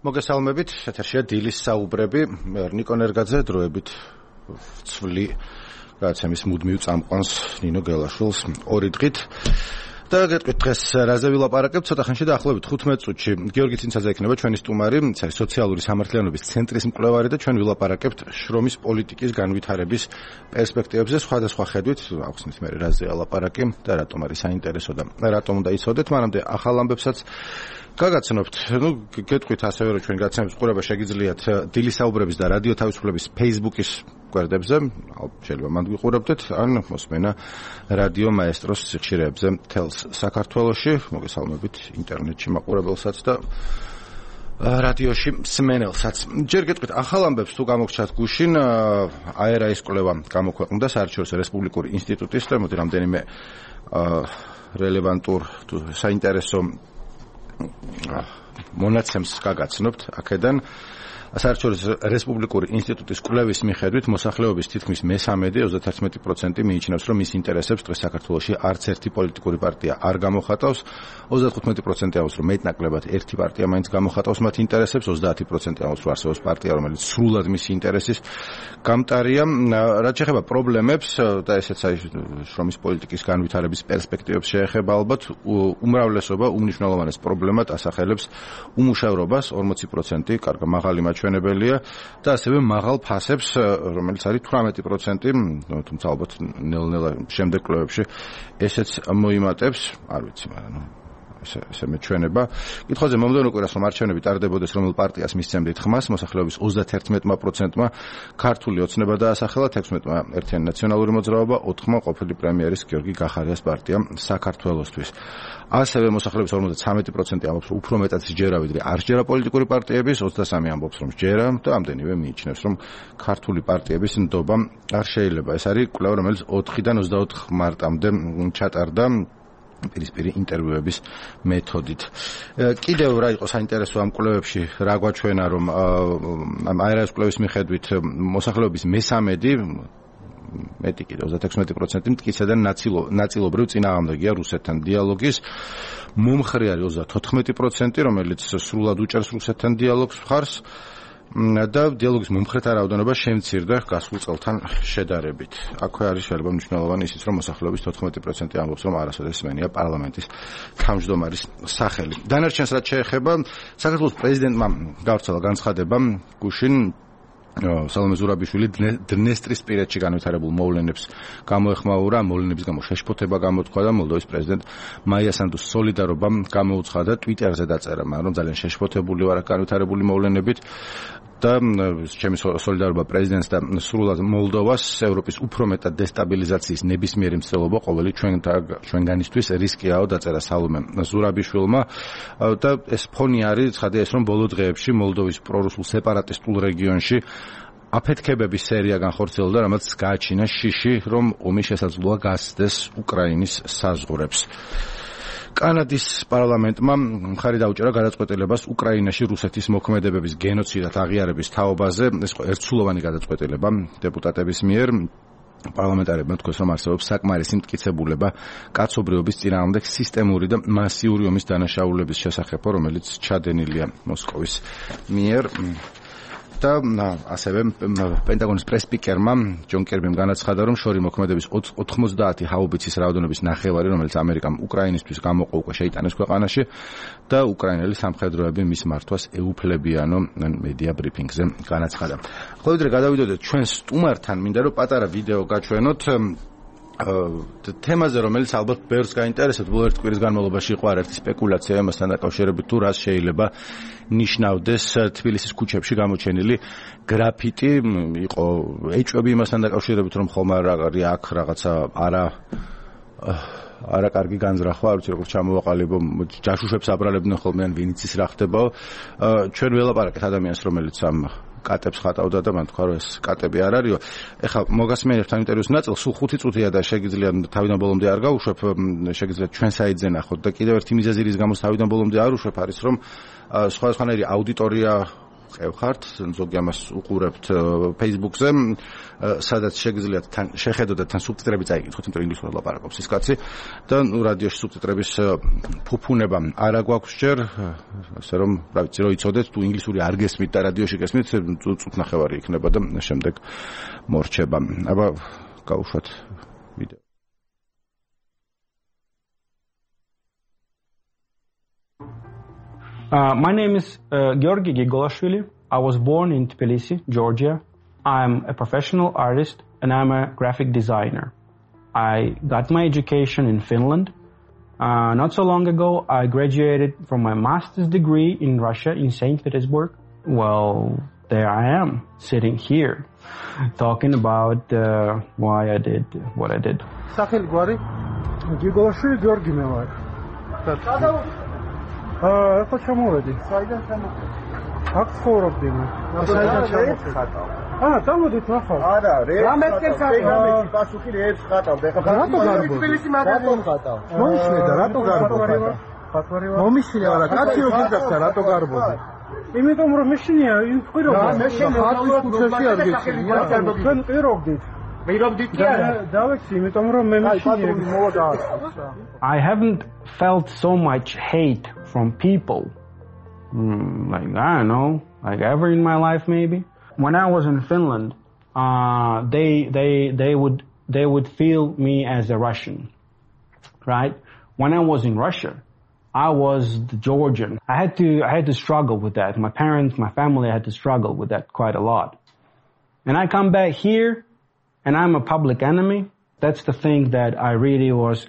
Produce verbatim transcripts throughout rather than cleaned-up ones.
მოგესალმებით, ეთერშია დილის საუბრები, ნიკო ნერგაძე დროებით ცვლი გადაცემის მუდმივ წამყვანს ნინო გელაშვილს ორი დღით. და გეტყვით დღეს რაზე ვილაპარაკებთ, ცოტა ხანში დაახლოებით ხუთმეტ წუთში გიორგი ცინცაძე იქნება ჩვენი სტუმარი, სოციალური სამართლიანობის ცენტრის მკვლევარი და ჩვენ ვილაპარაკებთ შრომის პოლიტიკის განვითარების პერსპექტივებზე სხვადასხვა ხედვით, ახსნით მე რაზე ვილაპარაკი და რატომ არის საინტერესო და რატომ უნდა იცოდეთ, მანამდე ახალ ამბებსაც გაგაცნობთ. ნუ გეტყვით ასევე რომ ჩვენ გაცემის ყურება შეგიძლიათ დილის საუბრების და რადიო თავისუფლების Facebook-ის გვერდებზე, შეიძლება მანდ ვიყურებდეთ, ან მოსმენა რადიო მაესტროს სიხშირეებზე თელს საქართველოში, მოგესალმებით ინტერნეტში მაყურებელსაც და რადიოში მსმენელსაც. ჯერ გეტყვით ახალ ამბებს თუ გამოგჩათ გუშინ, აერაის კვლევა გამოქვეყნდა საერთაშორისო რესპუბლიკური ინსტიტუტის და მოდი რამდენიმე რელევანტურ თუ საინტერესო მონაცემს გაგაცნობთ აქედან. საერთაშორისო რესპუბლიკური ინსტიტუტის კვლევის მიხედვით მოსახლეობის თითქმის მესამედი ოცდაათი პროცენტი მიიჩნევს, რომ მის ინტერესებს დღეს საქართველოში არც ერთი პოლიტიკური პარტია არ გამოხატავს. ოცდათხუთმეტი პროცენტი ამბობს, რომ მეტნაკლებად ერთი პარტია მაინც გამოხატავს მათ ინტერესებს, ოცდაათი პროცენტი ამბობს, რომ არსებობს პარტია, რომელიც სრულად მისი ინტერესის გამტარია. რაც შეეხება პრობლემებს და ესეც არის შრომის პოლიტიკის განვითარების პერსპექტივებს შეეხება, ალბათ უმრავლესობა უმნიშვნელოვანეს პრობლემად ასახელებს უმუშევრობას, ორმოცი პროცენტი, კარგი მაღალი ჩვენებელია და ასევე მაღალ ფასებს, რომელიც არის თვრამეტი პროცენტი, თუმცა ალბათ ნელ-ნელა შემდეგ კვლევებში ესეც მოიმატებს, არ ვიცი, მაგრამ ნუ ესე ესე მეჩვენება. კითხვაზე მომდევნო კვირას რომ არჩევნები ტარდებოდეს, რომელ პარტიას მისცემდით ხმას, მოსახლეობის ოცდაათი პროცენტმა ქართული ოცნება დაასახელა, ექვსმეტმა ერთიანი ნაციონალური მოძრაობა, ოთხმა ყოფილი პრემიერის გიორგი გახარიას პარტია საქართველოსთვის. ასევე მოსახლეობის ორმოცდათრამეტი პროცენტი ამბობს, რომ უფრო მეტად სჯერა ვიდრე არ სჯერა პოლიტიკური პარტიების, ოცდასამი ამბობს, რომ სჯერა და ამდენივე მიიჩნევს, რომ ქართული პარტიების ნდობა არ შეიძლება. ეს არის კვლევა, რომელიც ოთხიდან ოცდაოთხ მარტამდე ჩატარდა პირისპირი ინტერვიუების მეთოდით. კიდევ რა იყო საინტერესო ამ კვლევებში, რა გვაჩვენა, რომ ამ აერაის კვლევის მიხედვით მოსახლეობის მესამედი მეტი კიდე ოცდაექვსმეტი პროცენტი მტკიცებდნენ ნაწილობრივ წინააღმდეგია რუსეთთან დიალოგის. მომხრე არის ოცდათოთხმეტი პროცენტი, რომელიც სრულად უჭერს რუსეთთან დიალოგს მხარს და დიალოგის მომხრეთა რაოდენობა შემცირდა გასულ წელთან შედარებით. აქვე არის შეიძლება მნიშვნელოვანი ისიც, რომ მოსახლეობის თოთხმეტი პროცენტი ამბობს, რომ არასოდეს სმენია პარლამენტის თავმჯდომარის სახელი. დანარჩენს რაც შეეხება, საქართველოს პრეზიდენტმა გავრცელა განცხადება გუშინ სალომე ზურაბიშვილი დნესტრისპირეთში განვითარებულ მოვლენებს გამოეხმაურა, მოვლენების გამო შეშფოთება გამოთქვა და მოლდოვის პრეზიდენტ მაია სანდუს სოლიდარობამ გამოუცხადა ტვიტერზე დაწერა, რომ ძალიან შეშფოთებული ვარ განვითარებული მოვლენებით და ჩემი სოლიდარობა პრეზიდენტს და სრულად მოლდოვას, ევროპის უფრო მეტად დესტაბილიზაციის ნებისმიერი მცდელობა ყოველი ჩვენგანისთვის რისკიაო, დაწერა სალომე ზურაბიშვილმა და ეს ფონი არის, ცხადია ეს, რომ ბოლო დღეებში მოლდოვის პრორუსულ სეპარატისტულ რეგიონში აფეთქებების სერია განხორციელდა, რამაც გააჩინა შიში, რომ ომი შესაძლოა გასცდეს უკრაინის საზღვრებს. კანადის პარლამენტმა მხარი დაუჭერა გადაწყვეტილებას უკრაინაში რუსეთის მოქმედებების გენოციდად აღიარების თაობაზე. ეს იყო ერთსულოვანი გადაწყვეტილება დეპუტატების მიერ. პარლამენტარებმა თქვეს, რომ არსებობს საკმარისი მტკიცებულება კაცობრიობის წინააღმდეგ სისტემური და მასიური ომის დანაშაულების შესახებ, რომელიც ჩადენილია მოსკოვის მიერ. და ასევე პენტაგონის პრესპიკერმა ჯონ კერბიმ განაცხადა, რომ შორი მოქმედების ოთხმოცდაათი ჰაუბიცის რაოდენობის ნახევარი, რომელიც ამერიკამ უკრაინისთვის გამოყო, უკვე შეიტანეს ქვეყანაში და უკრაინელი სამხედროები მის მართვას ეუფლებიანო მედია ბრიფინგზე განაცხადა. ხოლო ვიდრე გადავიდოდეთ ჩვენ სტუმართან, მინდა რომ პატარა ვიდეო გაჩვენოთ თემაზე, რომელიც ალბათ ბევრს გაინტერესებს. ბოლო ერთ კვირის განმავლობაში იყო არაერთი სპეკულაცია იმასთან დაკავშირებით, თუ რას შეიძლება ნიშნავდეს თბილისის ქუჩებში გამოჩენილი გრაფიტი. იყო ეჭვები იმასთან დაკავშირებით, რომ ხომ არ არის აქ რაღაცა არა არა კარგი განზრახვა, არ ვიცი როგორ ჩამოვაყალიბო, ჯაშუშებს აბრალებდნენ ხოლმე ან ვინც ის რა ხდებაო. ჩვენ ველაპარაკეთ ადამიანს, რომელიც ამ კატებს ხატავდა და მან თქვა, რომ ეს კატები არ არისო. ეხლა მოგასმენებთ ამ ინტერვიუს ნაწილს, სულ ხუთი წუთია და შეგიძლიათ თავიდან ბოლომდე არ გავუშვებ, შეგიძლიათ ჩვენ საიტზე ნახოთ და კიდევ ერთი მიზეზი რის გამოც თავიდან ბოლომდე არ უშვებ არის, რომ სხვადასხვანაირი აუდიტორია ყევხართ, ზოგი ამას უყურებთ Facebook-ზე, სადაც შეგიძლიათ თან შეხედოთ და თან სუბტიტრები წაიკითხოთ, იმიტომ რომ ინგლისურად ლაპარაკობს ის კაცი და ნუ რადიოში სუბტიტრების ფუფუნება არ აგვაქვს ჯერ, ასე რომ, რა ვიცი, რო იცოდეთ, თუ ინგლისური არ გესმით და რადიოში გესმით, წუთნახევარი იქნება და შემდეგ მორჩება. აბა გავუშვათ ვიდეო. Uh, my name is uh, Georgi Gigolashvili. I was born in Tbilisi, Georgia. I'm a professional artist and I'm a graphic designer. I got my education in Finland. Uh, not so long ago, I graduated from my master's degree in Russia, in Saint Petersburg. Well, there I am, sitting here, talking about uh, why I did what I did. Სახელი გვარი გიგოლაშვილი გიორგი მე ვარ. აა, ხო ჩამოვედი. საიდან ჩამოვედი? აქ ცხოვრობდი მე. საიდან ჩამოვედი? აა, დამოდით ნახავ. არა, რამეთკენ საგამეთი პასუხი რეებს ხატავ. ეხლა რატო გარბო? თბილისი მაგალითად ხატავ. მომიშლედა, რატო გარბო? ხატვარი ვარ. მომიშლე არა, კაცი რო გიძახდა, რატო გარბოდი? იმიტომ რომ მეშინია იმ ხვირობა. მე შენ ხატვის კურსებში არ გეჩვენია. თქვენ პირობდით. პირობდით კი არა. დავეცი, იმიტომ რომ მე მეშინია მოვიდა. I haven't felt so much hate from people, mm, like I don't know, like ever in my life maybe. When I was in Finland, uh, they they they would they would feel me as a Russian, right? When I was in Russia, I was the Georgian. I had to I had to struggle with that. My parents, my family had to struggle with that quite a lot. And I come back here, and I'm a public enemy. That's the thing that I really was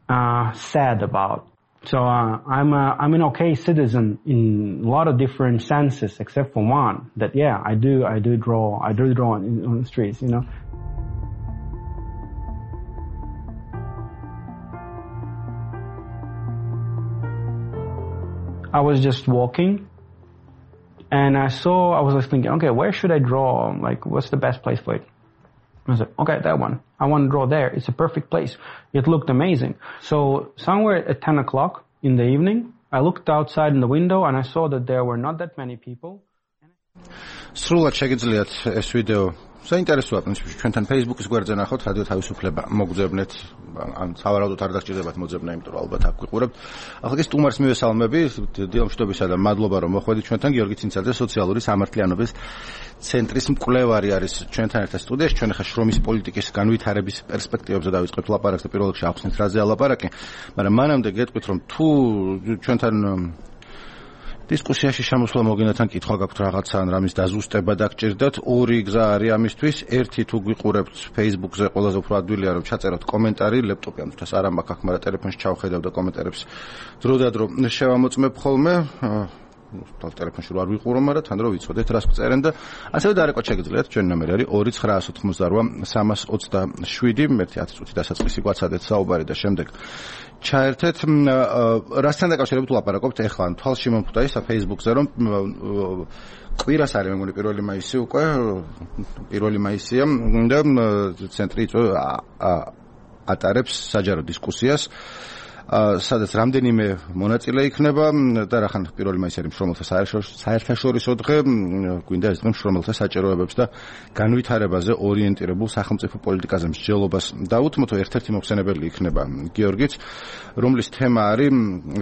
uh, sad about. So uh, I'm a, I'm an okay citizen in a lot of different senses, except for one. That yeah, I do I do draw I do draw on, on the streets, you know. I was just walking, and I saw I was like thinking, okay, where should I draw? Like, what's the best place for it? I was like, okay, that one. I want to draw there. It's a perfect place. It looked amazing. So somewhere at ten o'clock in the evening, I looked outside in the window and I saw that there were not that many people. სრულად შეგიძლიათ ეს ვიდეო საინტერესოა, პრინციპში ჩვენთან Facebook-ის გვერდზე ნახოთ, რადიო თავისუფლება მოგძებნეთ, ან სავარაუდოდ არ დასჭირდებათ მოძებნა, იმიტომ რომ ალბათ აქ გვიყურებთ. ახლა კი სტუმარს მივესალმები, დილამშვიდობისა და მადლობა რომ მოხვედით ჩვენთან. გიორგი ცინცაძე, სოციალური სამართლიანობის ცენტრის მკვლევარი არის ჩვენთან ერთად სტუდიაში. ჩვენ ახლა შრომის პოლიტიკის განვითარების პერსპექტივებზე დავიწყებთ ლაპარაკს და პირველ რიგში ახსნით რაზე ალაპარაკი, მაგრამ მანამდე გეტყვით რომ თუ ჩვენთან დისკუსიაში შემოსვლა მოგინდათ კითხვა გაქვთ რაღაცა ან რამის დაზუსტება დაგჭირდათ, ორი გზა არის ამისთვის. ერთი თუ გვიყურებთ Facebook-ზე, ყველაზე უფრო ადვილია რომ ჩაწეროთ კომენტარი, ლეპტოპი ამ თვითონ არ მაქვს აქ, მაგრამ ტელეფონში ჩავხედავ და კომენტარებს დროდადრო შევამოწმებ ხოლმე. და ტელეფონში რო არ ვიყურო, მაგრამ თან რო ვიცოდეთ რას გწერენ და ასევე დარეკოთ შეგიძლიათ. ჩვენი ნომერი არის ორი ცხრა ოცდაოთხმოცდარვა სამას ოცდაშვიდი. მერტი ათი წუთი დასაწყისი გვაცადეთ საუბარი და შემდეგ ჩაერთეთ. რასთან დაკავშირებით ვლაპარაკობთ ეხლა? თვალში მომხვდა ის Facebook-ზე რომ კვირას არის მეგონი პირველი მაისი უკვე, პირველი მაისია და ცენტრი ატარებს საჯარო დისკუსიას, სადაც რამდენიმე მონაწილე იქნება და რახან პირველი მაისი არის მშრომელთა საერთაშორისო დღე, გვინდა ეს დღე მშრომელთა საჭიროებებს და განვითარებაზე ორიენტირებულ სახელმწიფო პოლიტიკაზე მსჯელობას დაუთმოთ. ერთ-ერთი მოხსენებელი იქნება გიორგიც, რომლის თემა არის,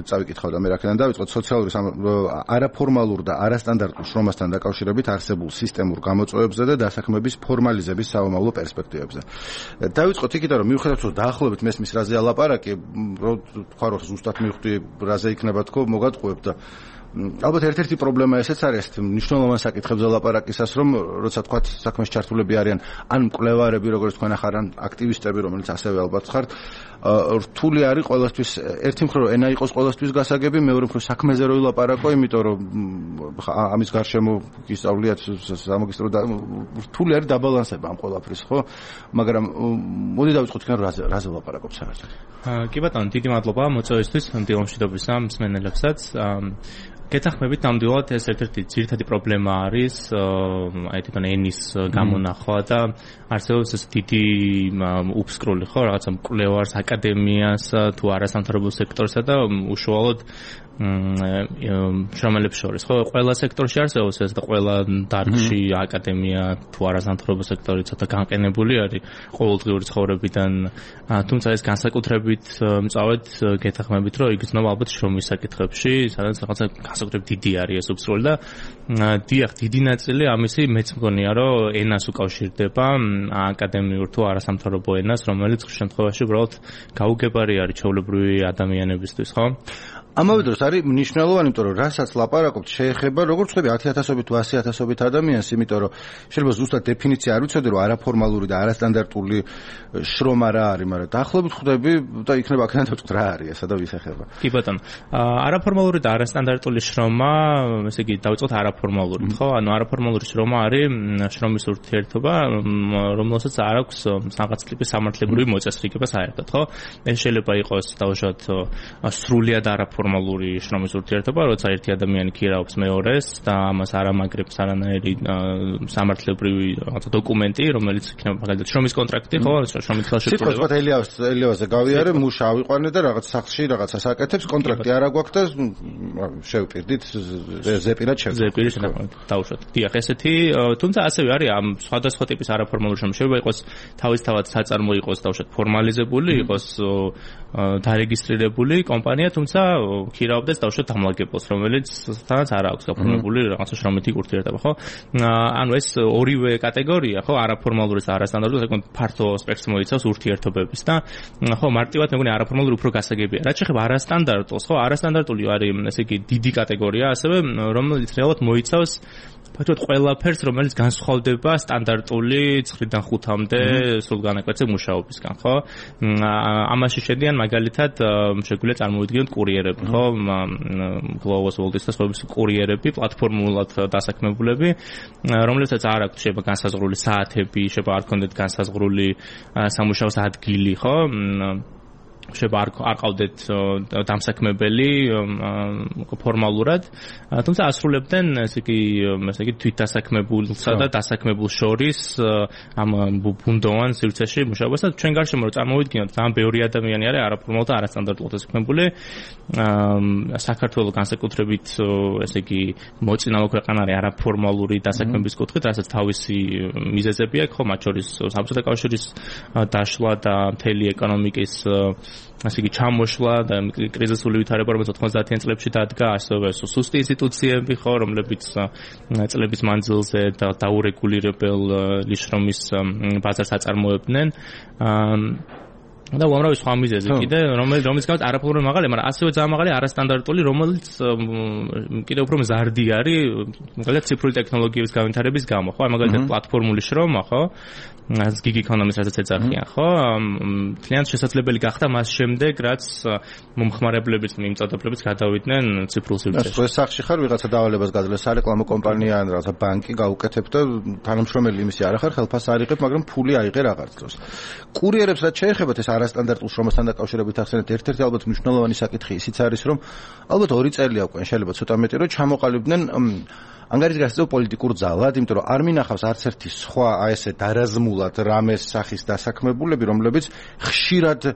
წავიკითხავ და მე რაკიდან დავიწყოთ, სოციალური არაფორმალურ და არასტანდარტულ შრომასთან დაკავშირებით არსებულ სისტემურ გამოწვევებზე და დასაქმების ფორმალიზების საომავლო პერსპექტივებზე. დავიწყოთ იქიდან, რომ მიუხედავად რომ დაახლოებით მესმის რაზე ალაპარაკი, რომ თქვა რომ ზუსტად მივხვდი რაზე იქნება თქო, მოგატყუებ და ალბათ ერთ-ერთი პრობლემა ესეც არის, მნიშვნელოვან საკითხებზე ლაპარაკისას, რომ როცა თქვა საქმეში ჩართულები არიან ან მკვლევარები, როგორც თქვენ ახარ, ან აქტივისტები, რომელიც ასევე ალბათ ხართ, რთული არის ყოველთვის, ერთი მხრივ რომ ენა იყოს ყოველთვის გასაგები, მეორე მხრივ საქმეზე რო ილაპარაკო, იმიტომ რომ ამის გარშემო გისწავლიათ სამაგისტრო და რთული არის დაბალანსება ამ ყველაფრის, ხო? მაგრამ მოდი დავიწყოთ თქვენ რაზე რაზე ლაპარაკობთ საერთოდ. კი ბატონო, დიდი მადლობა მოწვევისთვის, დილამშვიდობისა მსმენელებსაც. გეთახმებით ნამდვილად ეს ერთ-ერთი ძირითადი პრობლემა არის აი თვითონ ენის გამონახვა და არსებობს ეს დიდი უფსკრული ხო რაღაცა მკვლევარს, აკადემიას თუ არასამთავრობო სექტორსა და უშუალოდ შრომელებს შორის, ხო, ყველა სექტორში არსებობს ეს და ყველა დარგში აკადემია თუ არასამთავრობო სექტორი ცოტა განყენებული არის ყოველდღიური ცხოვრებიდან, თუმცა ეს განსაკუთრებით მწავედ გეთანხმებით, რომ იგრძნობა ალბათ შრომის საკითხებში, სადაც რაღაცა განსაკუთრებით დიდი არის ეს უფსრული და დიახ, დიდი ნაწილი ამისი მეც მგონია, რომ ენას უკავშირდება, აკადემიურ თუ არასამთავრობო ენას, რომელიც ხშირ შემთხვევაში უბრალოდ გაუგებარი არის ჩვეულებრივი ადამიანებისთვის, ხო? ამავე დროს არის მნიშვნელოვანი, იმიტომ რომ რასაც ლაპარაკობთ, შეეხება როგორც ხდება ათი ათასობით თუ ასი ათასობით ადამიანს, იმიტომ რომ შეიძლება ზუსტად დეფინიცია არ ვიცოდი, რომ არაფორმალური და არასტანდარტული შრომა რა არის, მაგრამ დაახლოებით ხვდები და იქნება აქედან დავწყოთ რა არის ესა და ვის ეხება. კი ბატონო. არაფორმალური და არასტანდარტული შრომა, ესე იგი დავწყოთ არაფორმალური, ხო? ანუ არაფორმალური შრომა არის შრომის ურთიერთობა, რომელსაც არ აქვს რაღაც ტიპის სამართლებრივი მოწესრიგება საერთოდ, ხო? ეს შეიძლება იყოს დავუშვათ სრულიად არაფორმალური ფორმალური შრომის ურთიერთობა, როცა ერთი ადამიანი ქირაობს მეორეს და ამას არ ამაგრებს არანაირი სამართლებრივი რაღაცა დოკუმენტი, რომელიც იქნება მაგალითად შრომის კონტრაქტი, ხო, შრომის ხელშეკრულება. სიტყვას ელიავს ელიავაზე გავიარე, მუშა ავიყვანე და რაღაც სახლში რაღაცას აკეთებს, კონტრაქტი არ აგვაქვს და შევპირდით ზეპირად შევ. ზეპირი შევ. დავუშვათ. დიახ, ესეთი, თუმცა ასევე არის ამ სხვადასხვა ტიპის არაფორმალური შრომა. შეიძლება იყოს თავისთავად საწარმო იყოს, დავუშვათ, ფორმალიზებული იყოს დარეგისტრირებული კომპანია, თუმცა ქირაობდეს დავუშვათ დამლაგებელს, რომელიც თანაც არ აქვს გაფორმებული რაღაცა შრომითი ურთიერთობა, ხო? ანუ ეს ორივე კატეგორია, ხო, არაფორმალური და არასტანდარტული, საკმაოდ ფართო სპექტრს მოიცავს ურთიერთობების და ხო, მარტივად მეგონი არაფორმალური უფრო გასაგებია. რაც შეეხება არასტანდარტულს, ხო, არასტანდარტული არის, ესე იგი, დიდი კატეგორია, ასევე რომელიც რეალურად მოიცავს ფაქტობრივად ყველაფერს, რომელიც განსხვავდება სტანდარტული ცხრიდან ხუთამდე სულ განაკვეთზე მუშაობისგან, ხო? ამაში შედიან მაგალითად შეგვიძლია წარმოვიდგინოთ კურიერები, ხო? Global World-ის და სხვების კურიერები, პლატფორმულად დასაქმებულები, რომლებსაც არ აქვთ შეიძლება განსაზღვრული საათები, შეიძლება არ ქონდეთ განსაზღვრული სამუშაო ადგილი, ხო? შეიძლება არ ყავდეთ დამსაქმებელი ფორმალურად, თუმცა ასრულებდნენ ესე იგი, ესე იგი თვითდასაქმებულსა და დასაქმებულ შორის ამ ბუნდოვან სივრცეში მუშაობას და ჩვენ გარშემო რომ წარმოვიდგინოთ, ძალიან ბევრი ადამიანი არის არაფორმალურად და არასტანდარტულად დასაქმებული. საქართველოს განსაკუთრებით ესე იგი მოწინავე ქვეყანა არის არაფორმალური დასაქმების კუთხით, რასაც თავისი მიზეზები აქვს, ხო, მათ შორის საბჭოთა კავშირის დაშლა და მთელი ეკონომიკის ასე იგი ჩამოშლა და კრიზისული ვითარება, რომელიც ოთხმოცდაათიან წლებში დადგა, ასევე სუსტი ინსტიტუციები, ხო, რომლებიც წლების მანძილზე და დაურეგულირებელ შრომის ბაზარს აწარმოებდნენ. და უამრავი სხვა მიზეზი კიდე, რომელიც რომელიც გამოს არაფორმალური მაღალია, მაგრამ ასევე ძალიან მაღალი არასტანდარტული, რომელიც კიდე უფრო მზარდი არის, მაგალითად ციფრული ტექნოლოგიების განვითარების გამო, ხო? მაგალითად პლატფორმული შრომა, ხო? ეს gig economy-ს რასაც ეძახიან, ხო? თლიანად შესაძლებელი გახდა მას შემდეგ, რაც მომხმარებლებიც, მიმწოდებლებს გადავიდნენ ციფრულ სივრცეში. ეს სახში ხარ, ვიღაცა დავალებას გაძლევს სარეკლამო კომპანია ან რაღაცა ბანკი გაუკეთებ და თანამშრომელი იმისი არ ახარ, ხელფასს არ იღებ, მაგრამ ფული აიღე რაღაც დროს. კურიერებს რაც შეეხებათ ეს არასტანდარტულ შრომასთან დაკავშირებით ახსენეთ, ერთ-ერთი ალბათ მნიშვნელოვანი საკითხი ისიც არის, რომ ალბათ ორი წელი აქვს, შეიძლება ცოტა მეტი, რომ ჩამოყალიბდნენ ანგარიშგასწევ პოლიტიკურ ძალად, იმიტომ რომ არ მინახავს არც ერთი სხვა აი ესე დარაზმულად რამეს სახის დასაქმებულები, რომლებიც ხშირად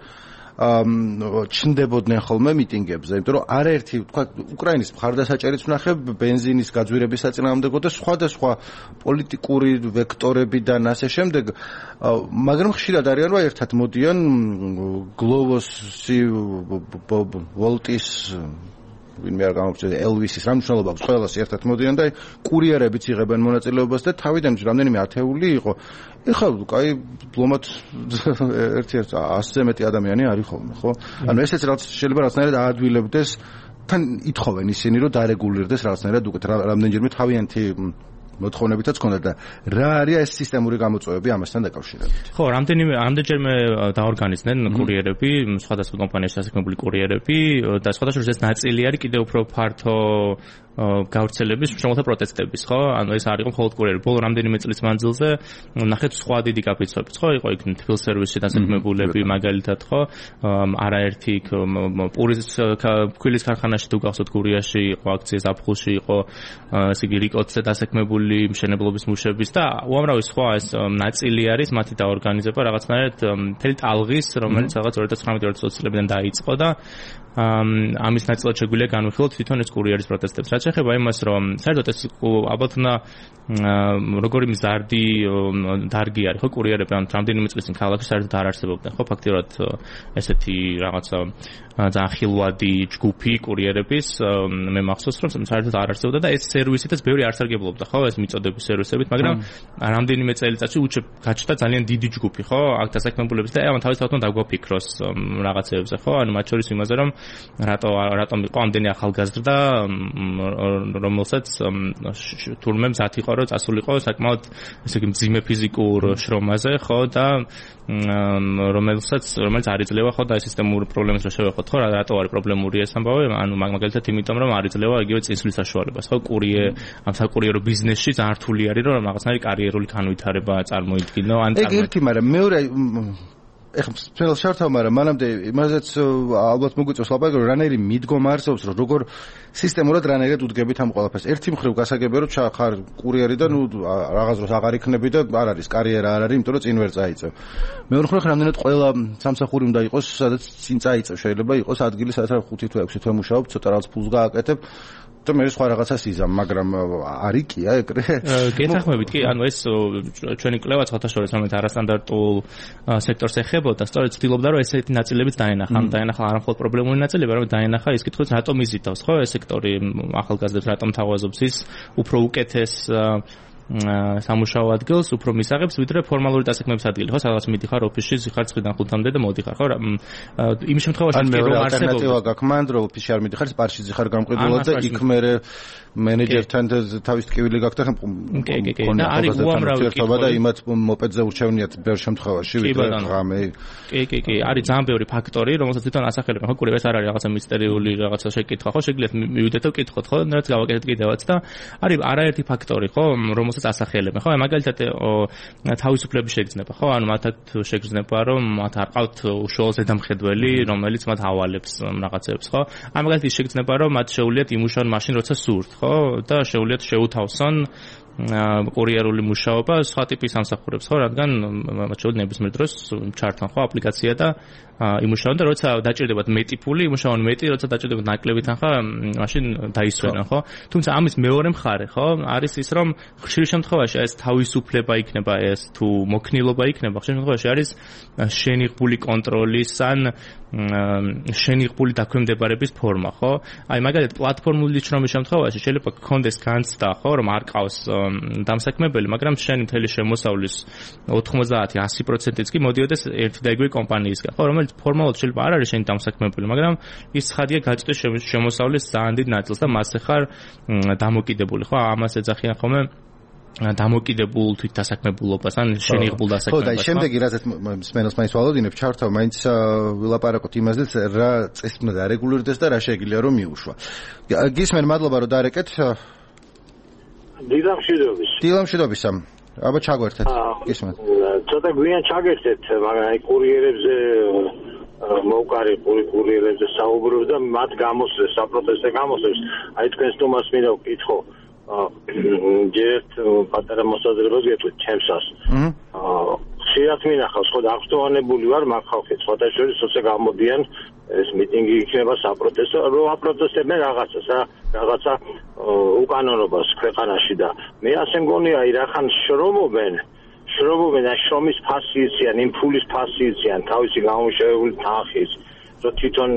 ჩნდებოდნენ ხოლმე მიტინგებზე, იმიტომ რომ არაერთი, თქვა, უკრაინის მხარდასაჭერიც ვნახე, ბენზინის გაძვირების საწინააღმდეგო და სხვადასხვა პოლიტიკური ვექტორებიდან ასე შემდეგ, მაგრამ ხშირად არიან, რომ ერთად მოდიან გლოვოსი, ვოლტის ვინმე არ გამოვწევ ელვისის რა მნიშვნელობა აქვს ყველას ერთად მოდიან და კურიერებიც იღებენ მონაწილეობას და თავიდან რამდენიმე ათეული იყო. ეხლა კაი ბლომად ერთ-ერთ ასზე მეტი ადამიანი არის ხოლმე, ხო? ანუ ესეც რაც შეიძლება რაღაცნაირად აადვილებდეს, თან ითხოვენ ისინი რომ დარეგულირდეს რაღაცნაირად უკეთ რამდენჯერმე თავიანთი მოთხოვნებითაც ქონდა და რა არის ეს სისტემური გამოწვევები ამასთან დაკავშირებით? ხო, რამდენიმე ამდენჯერმე დაორგანიზდნენ კურიერები, სხვადასხვა კომპანიაში დასაქმებული კურიერები და სხვადასხვა ეს ნაწილი არის კიდევ უფრო ფართო გავრცელების შემოთა პროტესტების, ხო? ანუ ეს არ იყო მხოლოდ კურიერი. ბოლო რამდენიმე წლის მანძილზე ნახეთ სხვა დიდი კაპიტალები, ხო? იყო იქ თბილ სერვისში დასაქმებულები, მაგალითად, ხო? არაერთი პურის ქვილის ქარხანაში თუ გახსოვთ გურიაში იყო აქცია, ზაფხულში იყო ესე იგი რიკოტზე დასაქმებული მშენებლობის მუშების და უამრავი სხვა ეს ნაწილი არის მათი დაორგანიზება რაღაცნაირად მთელი ტალღის, რომელიც რაღაც ორი ათას ცხრამეტი ორი ათას ოცი წლებიდან დაიწყო და ამის ნაწილად შეგვიძლია განვიხილოთ თვითონ ეს კურიერის პროტესტებს. რაც შეეხება იმას, რომ საერთოდ ეს ალბათ უნდა როგორი მზარდი დარგი არის, ხო, კურიერები, ან რამდენიმე წლის წინ ქალაქში საერთოდ არ არსებობდნენ, ხო, ფაქტიურად ესეთი რაღაცა ძალიან ხილვადი ჯგუფი კურიერების მე მახსოვს, რომ საერთოდ არ არსებობდა და ეს სერვისითაც ბევრი არ სარგებლობდა, ხო, ეს მიწოდების სერვისებით, მაგრამ რამდენიმე წელიწადში უჩებ გაჩნდა ძალიან დიდი ჯგუფი, ხო, აქ დასაქმებულების და ამან თავისთავად უნდა დაგვაფიქროს რაღაცეებზე, ხო, ანუ მათ შორის იმაზე, რომ რატო რატომ იყო ამდენი ახალგაზრდა, რომელსაც თურმე მზად იყო, რომ წასულიყო საკმაოდ ესე იგი მძიმე ფიზიკურ შრომაზე, ხო, და რომელსაც რომელიც არ იძლევა, ხო, და ეს სისტემური პრობლემას რა შევეხოთ, ხო, რატო არის პრობლემური ეს ამბავი, ანუ მაგალითად იმიტომ, რომ არ იძლევა იგივე წინსვლის საშუალებას, ხო, კურიერ ამ საკურიერო ბიზნესში ძალიან რთული არის, რომ რაღაცნაირი კარიერული განვითარება წარმოიდგინო, ან ეგ ერთი, მაგრამ მეორე ეხლა სპეციალ შართავ, მაგრამ მანამდე იმაზეც ალბათ მოგვიწევს ლაპარაკი, რომ რანაირი მიდგომა არსებობს, რომ როგორ სისტემურად რანაირად უდგებით ამ ყველაფერს. ერთი მხრივ გასაგებია, რომ ხარ კურიერი და ნუ რაღაც დროს აღარ იქნები და არ არის კარიერა არ არის, იმიტომ რომ წინ ვერ წაიწევ. მეორე მხრივ რამდენად ყველა სამსახური უნდა იყოს, სადაც წინ წაიწევ, შეიძლება იყოს ადგილი, სადაც ხუთი თუ ექვსი თვე მუშაობ, ცოტა რაღაც ფულს გააკეთებ. და მე სხვა რაღაცას იზამ, მაგრამ არის კი აი ეგრე. გეთახმებით კი, ანუ ეს ჩვენი კვლევა ცოტა შორის ამეთ არასტანდარტულ სექტორს ეხებოდა, სწორედ ცდილობდა რომ ესეთი ნაწილებიც დაენახა, ამ დაენახა არა მხოლოდ პრობლემური ნაწილები, არამედ დაენახა ის კითხვაც რატომ იზიდავს, ხო, ეს სექტორი ახალგაზრდებს რატომ თავაზობს ის უფრო უკეთეს სამუშაო ადგილს, უფრო მისაღებს, ვიდრე ფორმალური დასაქმების ადგილი, ხო, სადაც მიდიხარ ოფისში, ხარ ცხრიდან ხუთამდე და მოდიხარ, ხო, იმ შემთხვევაში კი რომ არსებობს ალტერნატივა გაქვს მანდ, რომ ოფისში არ მიდიხარ, პარკში ხარ გამყიდულად და იქ მე მენეჯერთან თავის ტკივილი გაქვს და კი, კი, კი, და არის უამრავი კითხვა და იმათ მოპედზე ურჩევნიათ ბევრ შემთხვევაში, ვიდრე ღამე. კი, კი, კი, არის ძალიან ბევრი ფაქტორი, რომელსაც თვითონ ასახელებენ, ხო, კურიერს არ არის რაღაცა მისტერიული რაღაცა შეკითხვა, ხო, შეგიძლიათ მივიდეთ და ვკითხოთ, ხო, რაც გავაკეთეთ კიდევაც და არის არაერთი ფაქტორი, ხო, რომელსაც ასახელებენ, ხო, მაგალითად თავისუფლების შეგრძნება, ხო, ანუ მათაც შეგრძნება, რომ მათ არ ყავთ უშუალო ზედამხედველი, რომელიც მათ ავალებს რაღაცებს, ხო? აი მაგალითად ის შეგრძნება, რომ მათ შეუძლიათ იმუშაონ მაშინ, როცა სურთ, ხო? და შეუძლიათ შეუთავსონ კურიერული მუშაობა სხვა ტიპის სამსახურებს, ხო, რადგან მათ შეუძლიათ ნებისმიერ დროს ჩართონ, ხო, აპლიკაცია და იმუშაონ და როცა დაჭირდებათ მეტი ფული, იმუშაონ მეტი, როცა დაჭირდებათ ნაკლები თანხა, მაშინ დაისვენონ, ხო? თუმცა ამის მეორე მხარე, ხო, არის ის, რომ ხშირ შემთხვევაში ეს თავისუფლება იქნება, ეს თუ მოქნილობა იქნება, ხშირ შემთხვევაში არის შენიღბული კონტროლის ან შენიღბული დაქვემდებარების ფორმა, ხო? აი მაგალითად პლატფორმული შრომის შემთხვევაში შეიძლება გქონდეს განცდა, ხო, რომ არ ყავს დამსაქმებელი, მაგრამ შენი მთელი შემოსავლის ოთხმოცდაათი ათი პროცენტიც კი მოდიოდეს ერთი და იგივე კომპანიისგან, ხო, რომელიც ფორმალურად შეიძლება არ არის შენი დამსაქმებელი, მაგრამ ის ცხადია გაჭრეს შემოსავლის ძალიან დიდ ნაწილს და მასზე ხარ დამოკიდებული, ხო? ამას ეძახიან ხოლმე დამოკიდებულ თვით დასაქმებულობას ან შენიღბულ დასაქმებას. ხო, და შემდეგი რაზეც სმენელს მაინც ვალოდინებ, ჩართავ, მაინც ვილაპარაკოთ იმაზეც, რა წესით უნდა დარეგულირდეს და რა შეიძლება რომ მიუშვა. გისმენ, მადლობა რომ დარეკეთ. დილამშვიდობის. დილამშვიდობისა. აბა ჩაგვერთეთ. გისმენ. ცოტა გვიან ჩაგერთეთ, მაგრამ აი კურიერებზე მოვყარი კურიერებზე საუბრობ და მათ გამოსვლეს, საპროტესტო გამოსვლეს. აი თქვენს თომას მინდა ვკითხო. ჯერ პატარა მოსაზრებას გეტყვით ჩემსას. აა ხშირად მინახავს, ხო, აღსტოვანებული ვარ მაგ ხალხით, სხვათა შორის როცა გამოდიან ეს მიტინგი იქნება საპროტესტო, რომ აპროტესტებენ რაღაცას, რა, რაღაცა უკანონობას ქვეყანაში და მე ასე მგონია, აი რახან შრომობენ, შრომობენ და შრომის ფასი იციან, იმ ფულის ფასი იციან, თავისი გამომუშავებული თანხის რომ თვითონ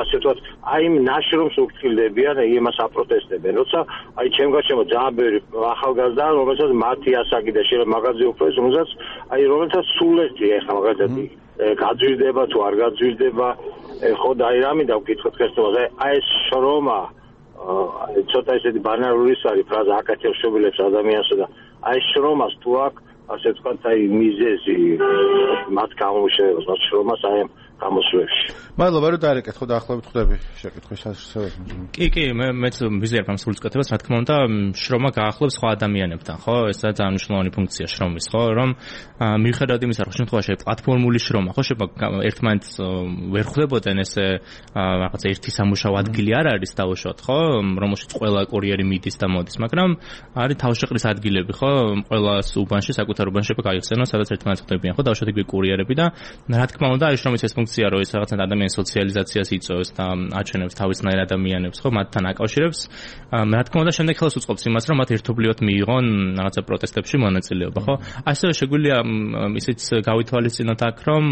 ასე ვთქვათ, აი იმ ნაშრომს უხილდებიან, იმას აპროტესტებენ. როცა აი ჩემ გარშემო ძალიან ბევრი ახალგაზრდა, რომელსაც მათი ასაკი და შეიძლება მაგაზე უფრო ის, რომელსაც აი რომელსაც სულეთი ეხლა მაგალითად გაძვირდება თუ არ გაძვირდება, ხო და აი რამე დავკითხოთ ხესტოზე, აი ეს შრომა აი ცოტა ისეთი ბანალური არის ფრაზა აკეთებს შობილებს ადამიანსა და აი შრომას თუ აქ ასე ვთქვათ, აი მიზეზი მათ გამომუშავებას, მათ შრომას აი გამოსვლებში. მადლობა რომ დაარეკეთ, ხო დაახლოებით ხვდები შეკითხვის შესაძლებლობას. კი, კი, მე მეც ვიზიარებ ამ სრულწყვეტებას, რა თქმა უნდა, შრომა გაახლებს სხვა ადამიანებთან, ხო? ეს ძალიან მნიშვნელოვანი ფუნქცია შრომის, ხო? რომ მიუხედავად იმისა, რომ შემთხვევაში პლატფორმული შრომა, ხო, შეიძლება ერთმანეთს ვერ ხვდებოდნენ ესე რაღაც ერთი სამუშაო ადგილი არ არის დაუშვათ, ხო? რომელშიც ყველა კურიერი მიდის და მოდის, მაგრამ არის თავშეყრის ადგილები, ხო? ყველას უბანში, საკუთარ უბანში შეიძლება გაიხსენოს, სადაც ერთმანეთს ხვდებიან, ხო? დაუშვათ იგივე კურიერები და რა თქმა უნდა, აი შრომის ეს ფუნქცია, რომ ეს რაღაცა ადამიანს ძალიან სოციალიზაციას იწვევს და აჩვენებს თავისნაირ ადამიანებს, ხო, მათთან აკავშირებს. რა თქმა უნდა, შემდეგ ხელს უწყობს იმას, რომ მათ ერთობლივად მიიღონ რაღაცა პროტესტებში მონაწილეობა, ხო? ასევე შეგვიძლია ისიც გავითვალისწინოთ აქ, რომ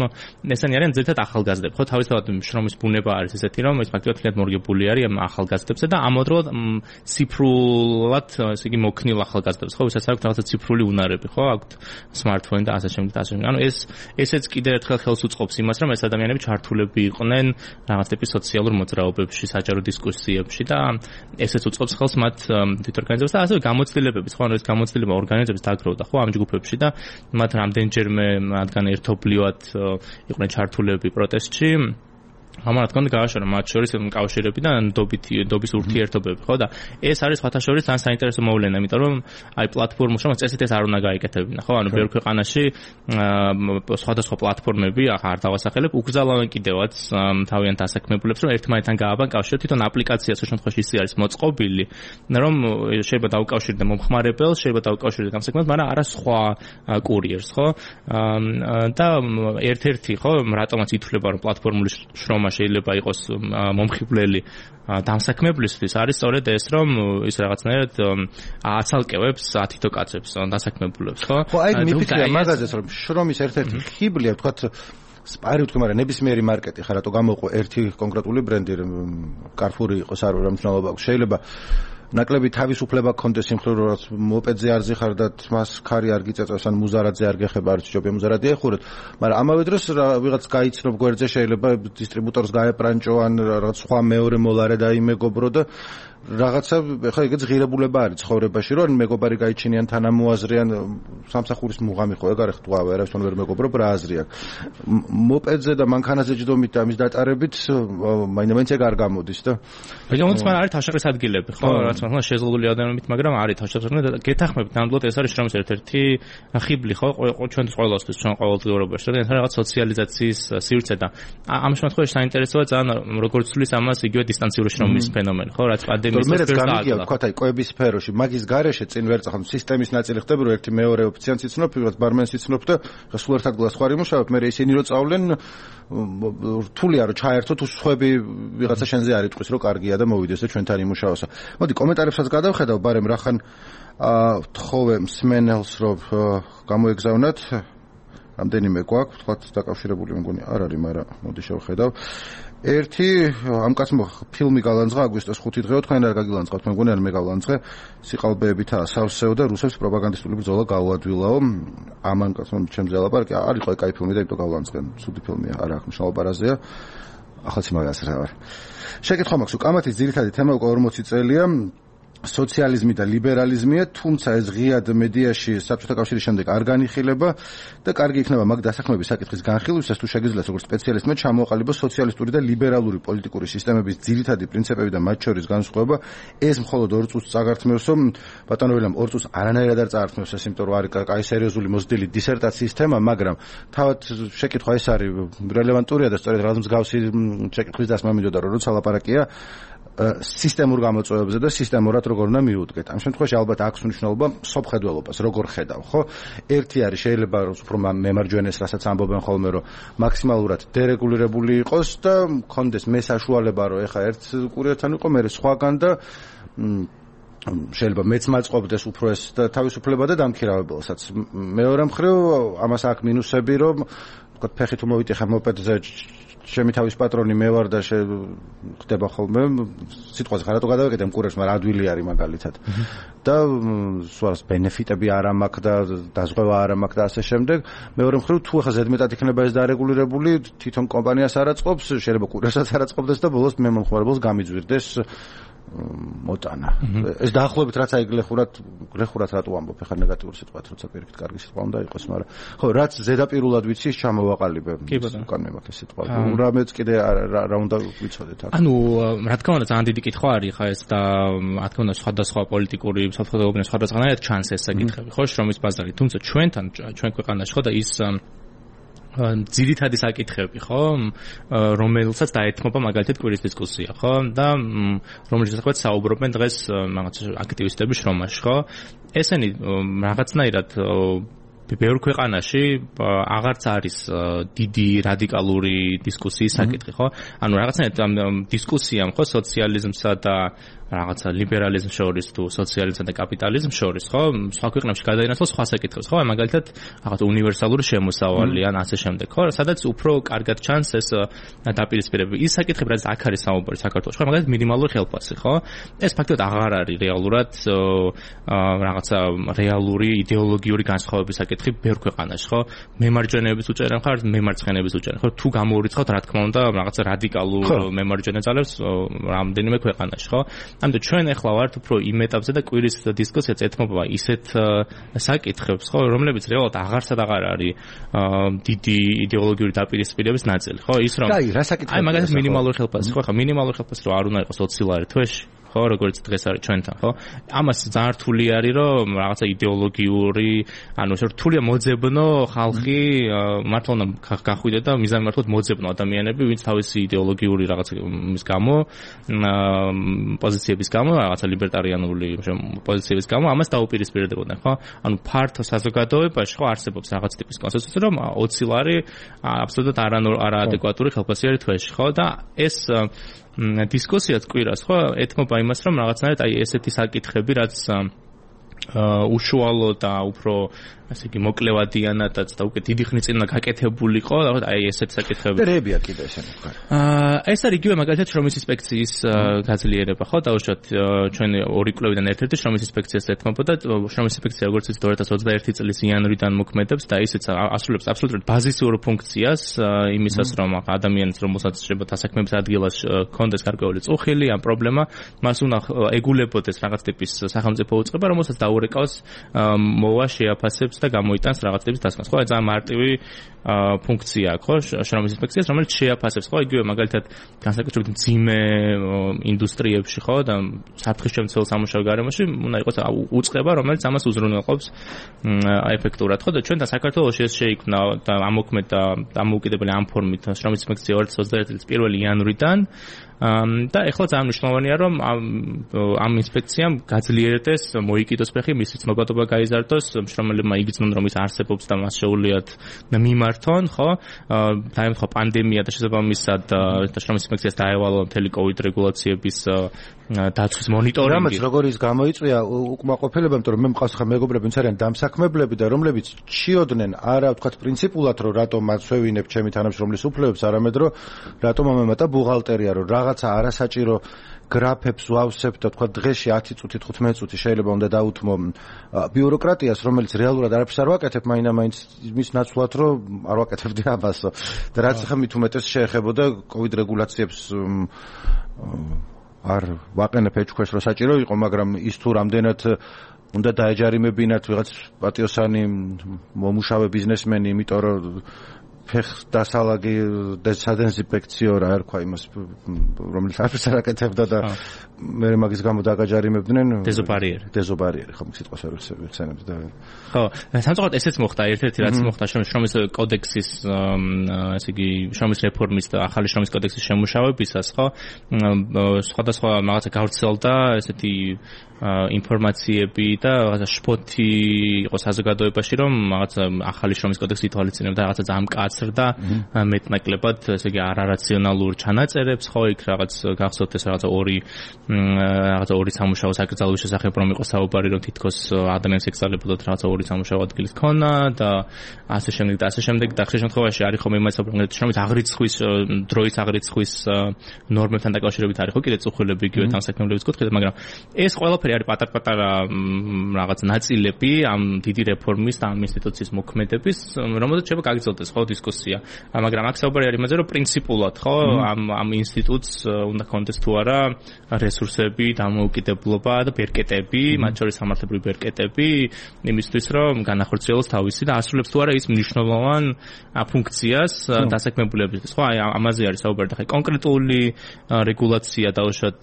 ესენი არიან ძირითადად ახალგაზრდები, ხო? თავისთავად შრომის ბუნება არის ესეთი, რომ ეს ფაქტობრივად მორგებული არის ამ ახალგაზრდებსა და ამავდროულად ციფრულად, ესე იგი მოქნილ ახალგაზრდებს, ხო? ვისაც აქვთ რაღაცა ციფრული უნარები, ხო? აქვთ smartphone და ასე შემდეგ და ასე შემდეგ. ანუ ეს ესეც კიდევ ერთხელ ხელს უწყობს იმას, რომ ეს ადამიანები ჩართულები იყვნენ რაღაც ტიპის სოციალურ მოძრაობებში, საჯარო დისკუსიებში და ესეც უწყობს ხელს მათ თვითორგანიზებას და ასევე გამოცდილებების, ხო? ანუ ეს გამოცდილება ორგანიზების დაგროვდა, ხო? ამ ჯგუფებში და მათ რამდენჯერმე მათგან ერთობლივად იყვნენ ჩართულები პროტესტში. ამან რა თქმა უნდა გააშორა მათ შორის კავშირები და ნდობით ნდობის ურთიერთობები, ხო და ეს არის სხვათა შორის ძალიან საინტერესო მოვლენა, იმიტომ რომ აი პლატფორმებში რომ წესით ეს არ უნდა გაიკეთებინა, ხო? ანუ ბევრ ქვეყანაში სხვადასხვა პლატფორმები ახლა არ დავასახელებ, უკრძალავენ კიდევაც თავიანთ დასაქმებულებს, რომ ერთმანეთთან გააბან კავშირი, თვითონ აპლიკაციას ამ შემთხვევაში ისე არის მოწყობილი, რომ შეიძლება დაუკავშირდე მომხმარებელს, შეიძლება დაუკავშირდე გამსაქმებას, მაგრამ არა სხვა კურიერს, ხო? და ერთ-ერთი, ხო, რატომაც ითვლება რომ პლატფორმული შრომა შეიძლება იყოს მომხიბვლელი დამსაქმებლისთვის არის სწორედ ეს, რომ ის რაღაცნაირად აცალკევებს ათითო კაცებს დასაქმებულებს, ხო? ხო, აი მიფიქრია მაგაზეც, რომ შრომის ერთ-ერთი ხიბლია, ვთქვათ, სპარი ვთქვი, მაგრამ ნებისმიერი მარკეტი ხარ, რატო გამოყო ერთი კონკრეტული ბრენდი, Carrefour იყოს არ რა მნიშვნელობა აქვს. შეიძლება ნაკლები თავისუფლება გქონდეს იმ მხრივ, რომ მოპედზე არ ზიხარდათ, მას ქარი არ გიწეწოს, ან მუზარადზე არ გეხება, არც ჯობია მუზარადი ეხურეთ, მაგრამ ამავე დროს ვიღაც გაიცნობ გვერდზე, შეიძლება დისტრიბუტორს გაეპრანჭო, ან რაღაც სხვა მეორე მოლარე დაიმეგობრო და რაღაცა ხა ეგეც ღირებულება არის ცხოვრებაში, რომ მეგობარი გაიჩინიან თანამოაზრიან სამსახურის მუღამი ხო ეგ არის ხვდავ, არავისთან ვერ მეგობრობ რა აზრი აქვს. მოპედზე და მანქანაზე ჯდომით და ამის დატარებით მაინც ეგ არ გამოდის და რეგიონს მაგრამ არის თავშეყრის ადგილები, ხო, რაც მაგრამ შეზღუდული ადამიანებით, მაგრამ არის თავშეყრის და გეთახმებით ნამდვილად ეს არის შრომის ერთ-ერთი ხიბლი, ხო, ჩვენთვის ყველასთვის, ჩვენ ყოველდღიურობაში და ეს რაღაც სოციალიზაციის სივრცე და ამ შემთხვევაში საინტერესოა ძალიან როგორც თulis ამას იგივე დისტანციური შრომის ფენომენი, ხო, რაც მერეც გამიგია ვთქვათ აი კვების სფეროში მაგის გარეშე წინ ვერ წახან სისტემის ნაწილი ხდება რომ ერთი მეორე ოფიციანს იცნობ, ვიღაც ბარმენს იცნობ და სულ ერთ ადგილას ხარ იმუშავებ, მე ისინი რო წავლენ რთულია რომ ჩაერთოთ უსხვები ვიღაცა შენზე არ იტყვის რომ კარგია და მოვიდეს და ჩვენთან იმუშაოსა. მოდი კომენტარებსაც გადავხედავ, ბარემ რახან ვთხოვე მსმენელს რომ გამოეგზავნათ რამდენიმე გვაქვს, ვთქვათ დაკავშირებული მგონი არ არის, მაგრამ მოდი შევხედავ. ერთი ამ კაცმა ფილმი გალანძღა აგვისტოს ხუთი დღეო, თქვენ არ გაგილანძღავთ, მე მგონი არ მე გალანძღე, სიყალბეებითა ასავსეო და რუსებს პროპაგანდისტული ბრძოლა გაუადვილაო. ამან კაცმა ჩემზე ალაპარაკი, არ იყო კაი ფილმი და იმიტომ გალანძღენ, ცუდი ფილმია, არ აქვს მნიშვნელობა რაზეა. ახალცი მაგას რა ვარ. შეკითხვა მაქვს, უკამათის ძირითადი თემა უკვე ორმოცი წელია. სოციალიზმი და ლიბერალიზმია, თუმცა ეს ღიად მედიაში საბჭოთა კავშირის შემდეგ არ განიხილება და კარგი იქნება მაგ დასაქმების საკითხის განხილვისას თუ შეგიძლიათ როგორც სპეციალისტმა ჩამოაყალიბოს სოციალისტური და ლიბერალური პოლიტიკური სისტემების ძირითადი პრინციპები და მათ შორის განსხვავება. ეს მხოლოდ ორ წუთს წაგართმევსო, ბატონო ვილამ ორ წუთს არანაირად არ წაართმევს ეს, იმიტომ რომ არის კაი სერიოზული მოზრდილი დისერტაციის თემა, მაგრამ თავად შეკითხვა ეს არის რელევანტურია და სწორედ რაღაც მსგავსი შეკითხვის დასმა მინდოდა რომ როცა ლაპარაკია სისტემურ გამოწვევებზე და სისტემურად როგორ უნდა მიუდგეთ. ამ შემთხვევაში ალბათ აქვს მნიშვნელობა სოფხედველობას, როგორ ხედავ, ხო? ერთი არის შეიძლება უფრო მემარჯვენეს, რასაც ამბობენ ხოლმე, რომ მაქსიმალურად დერეგულირებული იყოს და მქონდეს მე საშუალება, რომ ეხა ერთ კურიერთან იყო, მე სხვაგან და შეიძლება მეც მაწყობდეს უფრო ეს თავისუფლება და დამქირავებელსაც. მეორე მხრივ ამას აქვს მინუსები, რომ თქვა ფეხით უმოვიტეხა მოპედზე ჩემი თავის პატრონი მე ვარ და ხდება ხოლმე სიტყვაზე ხარ რატო გადავეკეთე მკურერს, მაგრამ ადვილი არის მაგალითად და სულაც ბენეფიტები არ მაქვს და დაზღვევა არ მაქვს და ასე შემდეგ. მეორე მხრივ თუ ახლა ზედმეტად იქნება ეს დარეგულირებული, თვითონ კომპანიას არ აწყობს, შეიძლება კურიერსაც არ აწყობდეს და ბოლოს მე მომხმარებელს გამიძვირდეს მოტანა. ეს დაახლოებით რაც აი გლეხურად გლეხურად რატო ამბობ, ახლა ნეგატიური სიტყვა, როცა პირიქით კარგი სიტყვა უნდა იყოს, მაგრამ ხო, რაც ზედაპირულად ვიცი, ის ჩამოვაყალიბე. უკან მე მაქვს ეს სიტყვა. რამეც კიდე რა უნდა ვიცოდეთ აქ. ანუ რა თქმა უნდა, ძალიან დიდი კითხვა არის ხა ეს და რა თქმა უნდა სხვადასხვა პოლიტიკური საზოგადოებრივი სხვადასხვანაირად ჩანს ეს საკითხები, ხო, შრომის ბაზარი. თუმცა ჩვენთან ჩვენ ქვეყანაში ხო და ის ძირითადი საკითხები, ხო, რომელსაც დაეთმობა მაგალითად კვირის დისკუსია, ხო, და რომელიც შესაძლოა საუბრობენ დღეს რაღაც აქტივისტები შრომაში, ხო. ესენი რაღაცნაირად ბევრ ქვეყანაში აღარც არის დიდი რადიკალური დისკუსიის საკითხი, ხო? ანუ რაღაცნაირად ამ დისკუსიამ, ხო, სოციალიზმსა და რაღაცა ლიბერალიზმს შორის თუ სოციალიზმსა და კაპიტალიზმს შორის, ხო? სხვა ქვეყნებში გადაინაცვლა სხვა საკითხებს, ხო? მაგალითად, რაღაც უნივერსალური შემოსავალი ან ასე შემდეგ, ხო? სადაც უფრო კარგად ჩანს ეს დაპირისპირება. ის საკითხები, რაც აქ არის საუბარი საქართველოში, ხო? მაგალითად, მინიმალური ხელფასი, ხო? ეს ფაქტობრივად აღარ არის რეალურად რაღაცა რეალური იდეოლოგიური განსხვავების საკითხი ბევრ ქვეყანაში, ხო? მემარჯვენეების უჭერენ ხარ, მემარცხენეების უჭერენ, ხო? თუ გამოვირიცხავთ, რა თქმა უნდა, რაღაცა რადიკალურ მემარჯვენე ძალებს რამდენიმე ქვეყანაში, ხო? ამიტომ ჩვენ ახლა ვართ უფრო იმ ეტაპზე და კვირის დისკუსიაც ეთმობა ისეთ საკითხებს, ხო, რომლებიც რეალურად აღარსად აღარ არის დიდი იდეოლოგიური დაპირისპირების ნაწილი, ხო, ის რომ აი, რა საკითხია? აი, მაგალითად მინიმალური ხელფასი, ხო, ხა მინიმალური ხელფასი რო არ უნდა იყოს ოცი ლარი თვეში, ხო, როგორც დღეს არის ჩვენთან, ხო? ამას ძალიან რთული არის, რომ რაღაცა იდეოლოგიური, ანუ ეს რთულია მოძებნო ხალხი, მართლა უნდა გახვიდე და მიზანი მართლაც მოძებნო ადამიანები, ვინც თავისი იდეოლოგიური რაღაცა მის გამო, პოზიციების გამო, რაღაცა ლიბერტარიანული პოზიციების გამო, ამას დაუპირისპირდებოდნენ, ხო? ანუ ფართო საზოგადოებაში, ხო, არსებობს რაღაც ტიპის კონსენსუსი, რომ ოცი ლარი აბსოლუტურად არაადეკვატური ხელფასი არის თვეში, ხო? და ეს დისკუსიაც კვირას, ხო, ეთმობა იმას, რომ რაღაცნაირად აი ესეთი საკითხები, რაც უშუალო და უფრო ასე იგი მოკლევადიანადაც და უკვე დიდი ხნის წინ გაკეთებულიყო, აი ესეთ საკითხები. და რეებია კიდე ესენი მხარე. აა ეს არის იგივე მაგალითად შრომის ინსპექციის გაძლიერება, ხო, დაუშვათ ჩვენ ორი კვლევიდან ერთ-ერთი შრომის ინსპექციას ეთმობოდა, შრომის ინსპექცია როგორც ის ორი ათას ოცდაერთი წლის იანვრიდან მოქმედებს და ისიც ასრულებს აბსოლუტურად ბაზისურ ფუნქციას იმისას, რომ ადამიანს რომელსაც შეიძლება დასაქმების ადგილას კონდეს გარკვეული წუხილი ან პრობლემა, მას უნდა ეგულებოდეს რაღაც ტიპის სახელმწიფო უწყება, რომელსაც დაურეკავს მოვა შეაფასებს და გამოიტანს რაღაც ტიპის დასკვნას. ხო, ძალიან მარტივი ფუნქცია აქვს, ხო, შრომის ინსპექციას, რომელიც შეაფასებს, ხო, იგივე მაგალითად განსაკუთრებით მძიმე ინდუსტრიებში, ხო, და საფრთხისშემცველ სამუშაო გარემოში უნდა იყოს უწყება, რომელიც ამას უზრუნველყოფს ეფექტურად, ხო, და ჩვენ და საქართველოში ეს შეიქმნა და ამოქმედა დამოუკიდებელი ამ ფორმით შრომის ინსპექცია ორი ათას ოცდაერთი წლის პირველი იანვრიდან და ეხლა ძალიან მნიშვნელოვანია, რომ ამ ამ ინსპექციამ გაძლიერდეს, მოიკიდოს ფეხი, მისი ცნობადობა გაიზარდოს, მშრომელებმა იგრძნონ, რომ ის არსებობს და მას შეუძლიათ მიმართონ, ხო? დაემთხვა პანდემია და შესაბამისად შრომის ინსპექციას დაევალა მთელი კოვიდ რეგულაციების დაცვის მონიტორინგი. რამაც როგორ ის გამოიწვია უკმაყოფილება, იმიტომ რომ მე მყავს ხა მეგობრები, ვინც არიან დამსაქმებლები და რომლებიც ჩიოდნენ არა ვთქვათ პრინციპულად, რომ რატომ მათ შევინებ ჩემი თანამშრომლის უფლებებს, არამედ რომ რატომ ამემატა ბუღალტერია, რომ რაღაცა არასაჭირო გრაფებს ვავსებთ და თქვა დღეში ათი წუთი თხუთმეტი წუთი შეიძლება უნდა დაუთმო ბიუროკრატიას, რომელიც რეალურად არაფერს არ ვაკეთებ, მაინდა-მაინც მის ნაცვლად რომ არ ვაკეთებდი ამასო. და რაც ხა მით უმეტეს შეეხებოდა კოვიდ რეგულაციებს არ ვაყენებ ეჭქვეშ რო საჭირო იყო, მაგრამ ის თუ რამდენად უნდა დაეჯარიმებინათ ვიღაც პატიოსანი მომუშავე ბიზნესმენი, იმიტომ რომ ფეხ დასალაგი დეზინფექციო რა ერქვა იმას, რომელიც არაფერს არ აკეთებდა და მე მაგის გამო დაგაჯარიმებდნენ დეზობარიერი. დეზობარიერი, ხო, სიტყვას არ ვიხსენებ და ხო, სამწუხაროდ ესეც მოხდა, ერთ-ერთი რაც მოხდა შრომის კოდექსის, ესე იგი, შრომის რეფორმის და ახალი შრომის კოდექსის შემუშავებისას, ხო, სხვადასხვა რაღაცა გავრცელდა ესეთი ინფორმაციები და რაღაცა შფოთი იყო საზოგადოებაში, რომ რაღაცა ახალი შრომის კოდექსი ითვალისწინებდა რაღაცა ძალიან მკაცრ და მეტნაკლებად, ესე იგი, არარაციონალურ ჩანაწერებს, ხო, იქ რაღაც გახსოვთ ეს რაღაცა ორი რაღაცა ორი სამუშაო საკრძალვის შესახებ რომ იყო საუბარი, რომ თითქოს ადამიანს ეკრძალებოდათ რაღაცა ორი სამუშაო ადგილის ქონა და ასე შემდეგ და ასე შემდეგ და ხშირ შემთხვევაში არის ხომ იმას საუბარი, შრომის აღრიცხვის დროის აღრიცხვის ნორმებთან დაკავშირებით არის ხო კიდე წუხილები იგივე თანასაქმებლობის კუთხით, მაგრამ ეს ყველაფერი არის პატარ-პატარა რაღაც ნაწილები ამ დიდი რეფორმის და ამ ინსტიტუციის მოქმედების, რომელზეც შეიძლება გაგრძელდეს ხო დისკუსია. მაგრამ აქ საუბარი არის იმაზე, რომ პრინციპულად ხო ამ ამ ინსტიტუტს უნდა კონდეს თუ არა რესურსები, დამოუკიდებლობა და ბერკეტები, მათ შორის სამართლებრივი ბერკეტები, იმისთვის რომ განახორციელოს თავისი და ასრულებს თუ არა ის მნიშვნელოვან ფუნქციას დასაქმებულებისთვის. ხო, აი ამაზე არის საუბარი და ხა კონკრეტული რეგულაცია დაუშვათ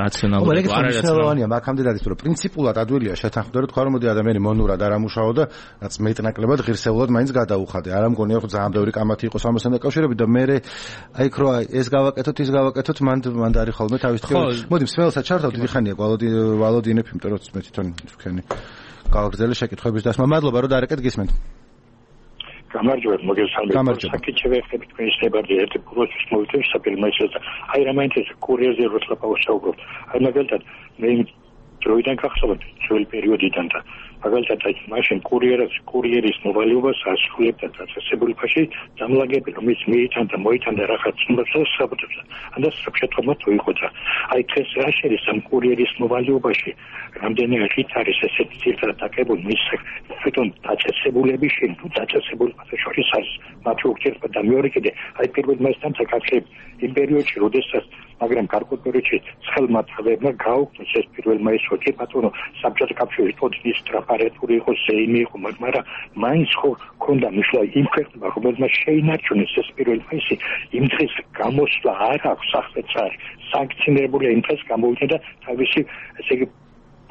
რაციონალური არ არის რაციონალურია, მაგამდე არის რომ პრინციპულად ადვილია შეთანხმდა, რომ თქვა რომ მოდი ადამიანი მონურად არ ამუშაო და რაც მეტნაკლებად ღირსეულად მაინც გადაუხადე. არ ამგონია რომ ძალიან ბევრი კამათი იყოს ამასთან დაკავშირებით და მე აი ხო ეს გავაკეთოთ, ის გავაკეთოთ, მან მან არის ხოლმე თავის თქო. მოდი მსმელსაც ჩართავ, დიდი ხანია ვალოდი ვალოდინებ, იმიტომ რომ მე თვითონ თქვენი გავაგრძელე შეკითხვების დასმა. მადლობა რომ დაარეკეთ გისმენთ. გამარჯობათ, მოგესალმებით. საკითხი ვეხები თქვენი შეგარდი ერთი პროცესს მოვიწევს საფილმეშოზე. აი რა მაინტერესებს კურიერზე როცა ვსაუბრობ. აი მაგალითად მე დროიდან გახსოვთ ძველი პერიოდიდან და მაგალითად აი მაშინ კურიერის კურიერის მოვალეობას ასრულებდა დაწესებულებაში დამლაგები რომ ის მიიტანდა მოიტანდა რაღაც ცნობებს საბუთებს. ანდა საფშეთქმა თუ იყო და აი დღეს რა შეიძლება ამ კურიერის მოვალეობაში რამდენიმე რით არის ესეთი ცირთა დაკებული მის თვითონ დაწესებულების თუ დაწესებულებაზე შორის არის მათი ურთიერთობა და მეორე კიდე აი პირველ მასთან საკითხები იმ პერიოდში როდესაც მაგრამ გარკვეულ პერიოდში ცხელმა თავებმა გაუქმეს ეს პირველ მაისში კი ბატონო საბჭოთა კავშირის პოზიციის ტრაპარეთური იყო ზეიმი იყო მაგრამ მაინც ხო ქონდა მისვლა იმ ქვეყნებმა რომელმაც შეინარჩუნეს ეს პირველ მაისი იმ დღეს გამოსვლა არ აქვს სახელმწიფო სანქციონირებული იმ დღეს გამოვიდა და თავისი ესე იგი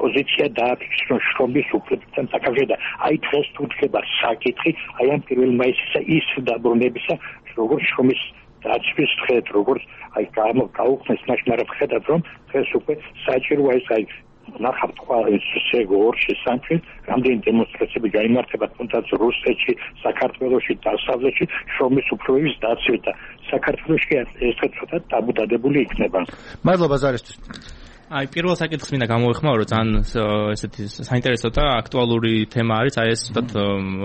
პოზიცია დააფიქსირა შრომის უფლებებთან საკავშირო და აი დღეს თუ დგება საკითხი აი ამ პირველ მაისისა ის დაბრუნებისა როგორც შრომის დაცვის დღეთ როგორც აი გაუქმეს მაშინ არ ვხედავ რომ დღეს უკვე საჭიროა ეს აი ნახავთ ყოველს შეგორში სამფი რამდენი დემონსტრაციები გაიმართება თუნდაც რუსეთში, საქართველოში, დასავლეთში შრომის უფლებების დაცვით და საქართველოში ეს ცოტა დაბუდადებული იქნება. მადლობა ზარისთვის. აი პირველ საკითხს მინდა გამოვიხმარო რომ ძალიან ესეთი საინტერესო და აქტუალური თემა არის აი ეს თოთ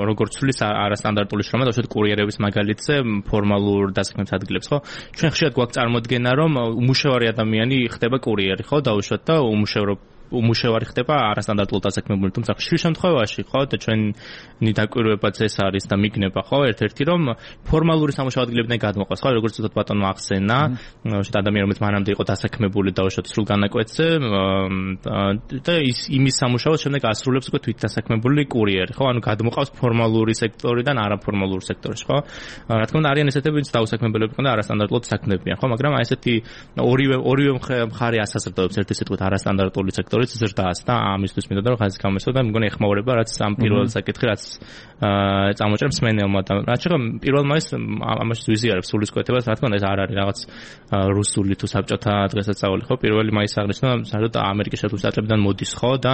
როგორც ცulis არასტანდარტული შრომა და უშუალოდ კურიერების მაგალითზე ფორმალურ დასაქმების ადგილებს ხო ჩვენ ხშირად გვაქვს წარმოდგენა რომ უმუშევარი ადამიანი ხდება კურიერი ხო დაუშვათ და უმუშევრო უმუშევარი ხდება არასტანდარტულ დასაქმებული თუმცა ხშირ შემთხვევაში ხო და ჩვენი დაკვირვებაც ეს არის და მიგნება ხო ერთ-ერთი რომ ფორმალური სამუშაო ადგილებიდან გადმოყვას ხო როგორც თოთ ბატონმა ახსენა შეთ ადამიანი რომელიც მანამდე იყო დასაქმებული და უშუალოდ სრულ განაკვეთზე და ის იმის სამუშაოს შემდეგ ასრულებს უკვე თვით დასაქმებული კურიერი ხო ანუ გადმოყავს ფორმალური სექტორიდან არაფორმალურ სექტორში ხო რა თქმა უნდა არიან ესეთები ვინც დაუსაქმებელები და არასტანდარტულად საქმდებიან ხო მაგრამ აი ესეთი ორივე ორივე მხარე ასაზრდოებს ერთი სიტყვით არასტანდარტული სექტორი ზრდას და ამისთვის მინდოდა რომ ხაზი გამოსვა და მგონი ეხმაურება რაც ამ პირველ საკითხი რაც წამოჭრებს მენელმა და რაც შეგვიძლია პირველ მაისს ამაში ვიზიარებს სულისკვეთებას რა თქმა უნდა ეს არ არის რაღაც რუსული თუ საბჭოთა დღესასწაული ხო პირველი მაისი აღნიშნა საერთოდ ამერიკის შეერთებული შტატებიდან მოდის ხო და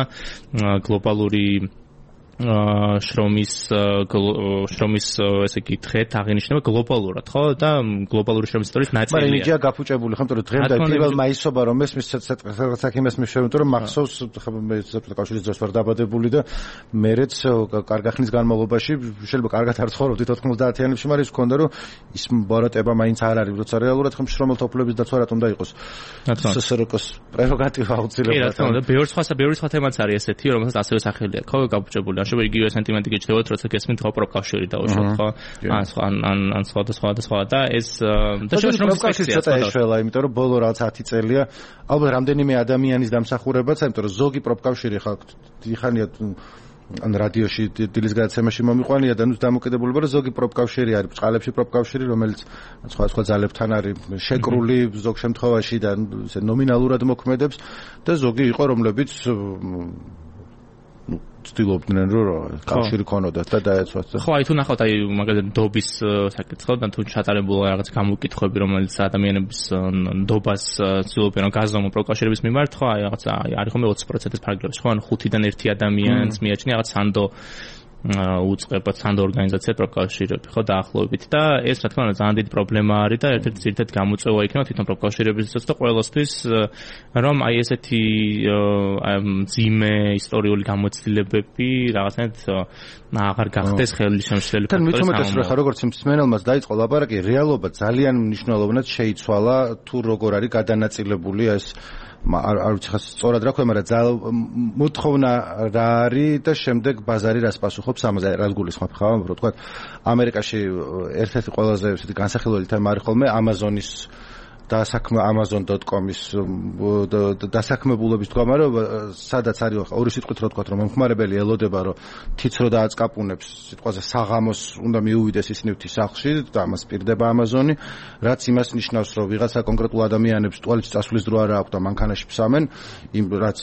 გლობალური შრომის შრომის ესე იგი დღეთ აღინიშნება გლობალურად ხო და გლობალური შრომის ისტორიის ნაწილია. მაგრამ იჯა გაფუჭებული ხო, მეტყვი დღემდე პირველ მაისობა რომ ეს მის საქმეს მიშევენ რომ მახსოვს მე საბჭოთა კავშირის დროს ვარ დაბადებული და მერეც კარგ ხნის განმავლობაში შეიძლება კარგად არ ცხოვრობდი ოთხმოცდაათიანებში, მაგრამ ის მქონდა რომ ის ბოროტება მაინც არ არის, როცა რეალურად ხომ შრომელთა უფლებების დაცვა რატომ და იყოს. სსრკ-ს პრეროგატივა აუცილებლად. კი რა თქმა უნდა, ბევრი სხვა ბევრი სხვა თემაც არის ესეთი, რომელსაც ასევე სახელი აქვს, ხო, გაფუჭებული. შეიძლება იგივე სენტიმენტი გიჩნდებათ, როცა გესმით ხო პროფკავშირი დაუშვათ, ხო? ან სხვა ან ან სხვა და სხვა და სხვა და ეს და შეიძლება პროფკავშირი ცოტა ეშველა, იმიტომ რომ ბოლო რაღაც ათი წელია ალბათ რამდენიმე ადამიანის დამსახურებაც, იმიტომ რომ ზოგი პროფკავშირი ხალხ დიხანია ან რადიოში დილის გადაცემაში მომიყვანია და ნუ დამოკიდებულება რომ ზოგი პროფკავშირი არის, წყალებში პროფკავშირი, რომელიც სხვა სხვა ძალებთან არის შეკრული ზოგ შემთხვევაში და ესე ნომინალურად მოქმედებს და ზოგი იყო რომლებიც ცდილობდნენ რომ კავშირი ქონოდათ და დაეცვათ. ხო, აი თუ ნახავთ აი მაგალითად ნდობის საკითხს და თუ ჩატარებულა რაღაც გამოკითხვები რომელიც ადამიანების ნდობას ცდილობენ რომ გაზომო პროკავშირების მიმართ, ხო, აი რაღაც არის ხომ ოცი პროცენტის ფარგლებში, ხო, ანუ ხუთიდან ერთი ადამიანს მიაჩნია რაღაც სანდო უწყებად სანდო ორგანიზაცია პროფკავშირები ხო დაახლოებით და ეს რა თქმა უნდა ძალიან დიდი პრობლემა არის და ერთ-ერთი ძირითადი გამოწვევა იქნება თვითონ პროფკავშირებისთვის და ყველასთვის რომ აი ესეთი ძიმე ისტორიული გამოცდილებები რაღაცნაირად აღარ გახდეს ხელისშემშლელი ფაქტორი. თან მithumetes რომ ხა როგორც მსმენელმაც დაიწყო ლაპარაკი, რეალობა ძალიან მნიშვნელოვნად შეიცვალა თუ როგორ არის გადანაწილებული ეს არ ვიცი ხა სწორად რა ქვია, მაგრამ მოთხოვნა რა არის და შემდეგ ბაზარი რას პასუხობს ამაზე, რას გულისხმობ ხა, რომ თქვა ამერიკაში ერთ-ერთი ყველაზე ესეთი განსახილველი თემა არის ხოლმე Amazon-ის დასაქმე amazon dot com-ის დასაქმებულობის მდგომარეობა, სადაც არის ორი სიტყვით რო თქვა, რომ მომხმარებელი ელოდება, რომ თიც რო დააწყაპუნებს სიტყვაზე საღამოს უნდა მიუვიდეს ის ნივთი სახლში და ამას პირდება Amazon-ი, რაც იმას ნიშნავს, რომ ვიღაცა კონკრეტულ ადამიანებს ტუალეტში წასვლის დრო არ აქვს და მანქანაში ფსამენ, იმ რაც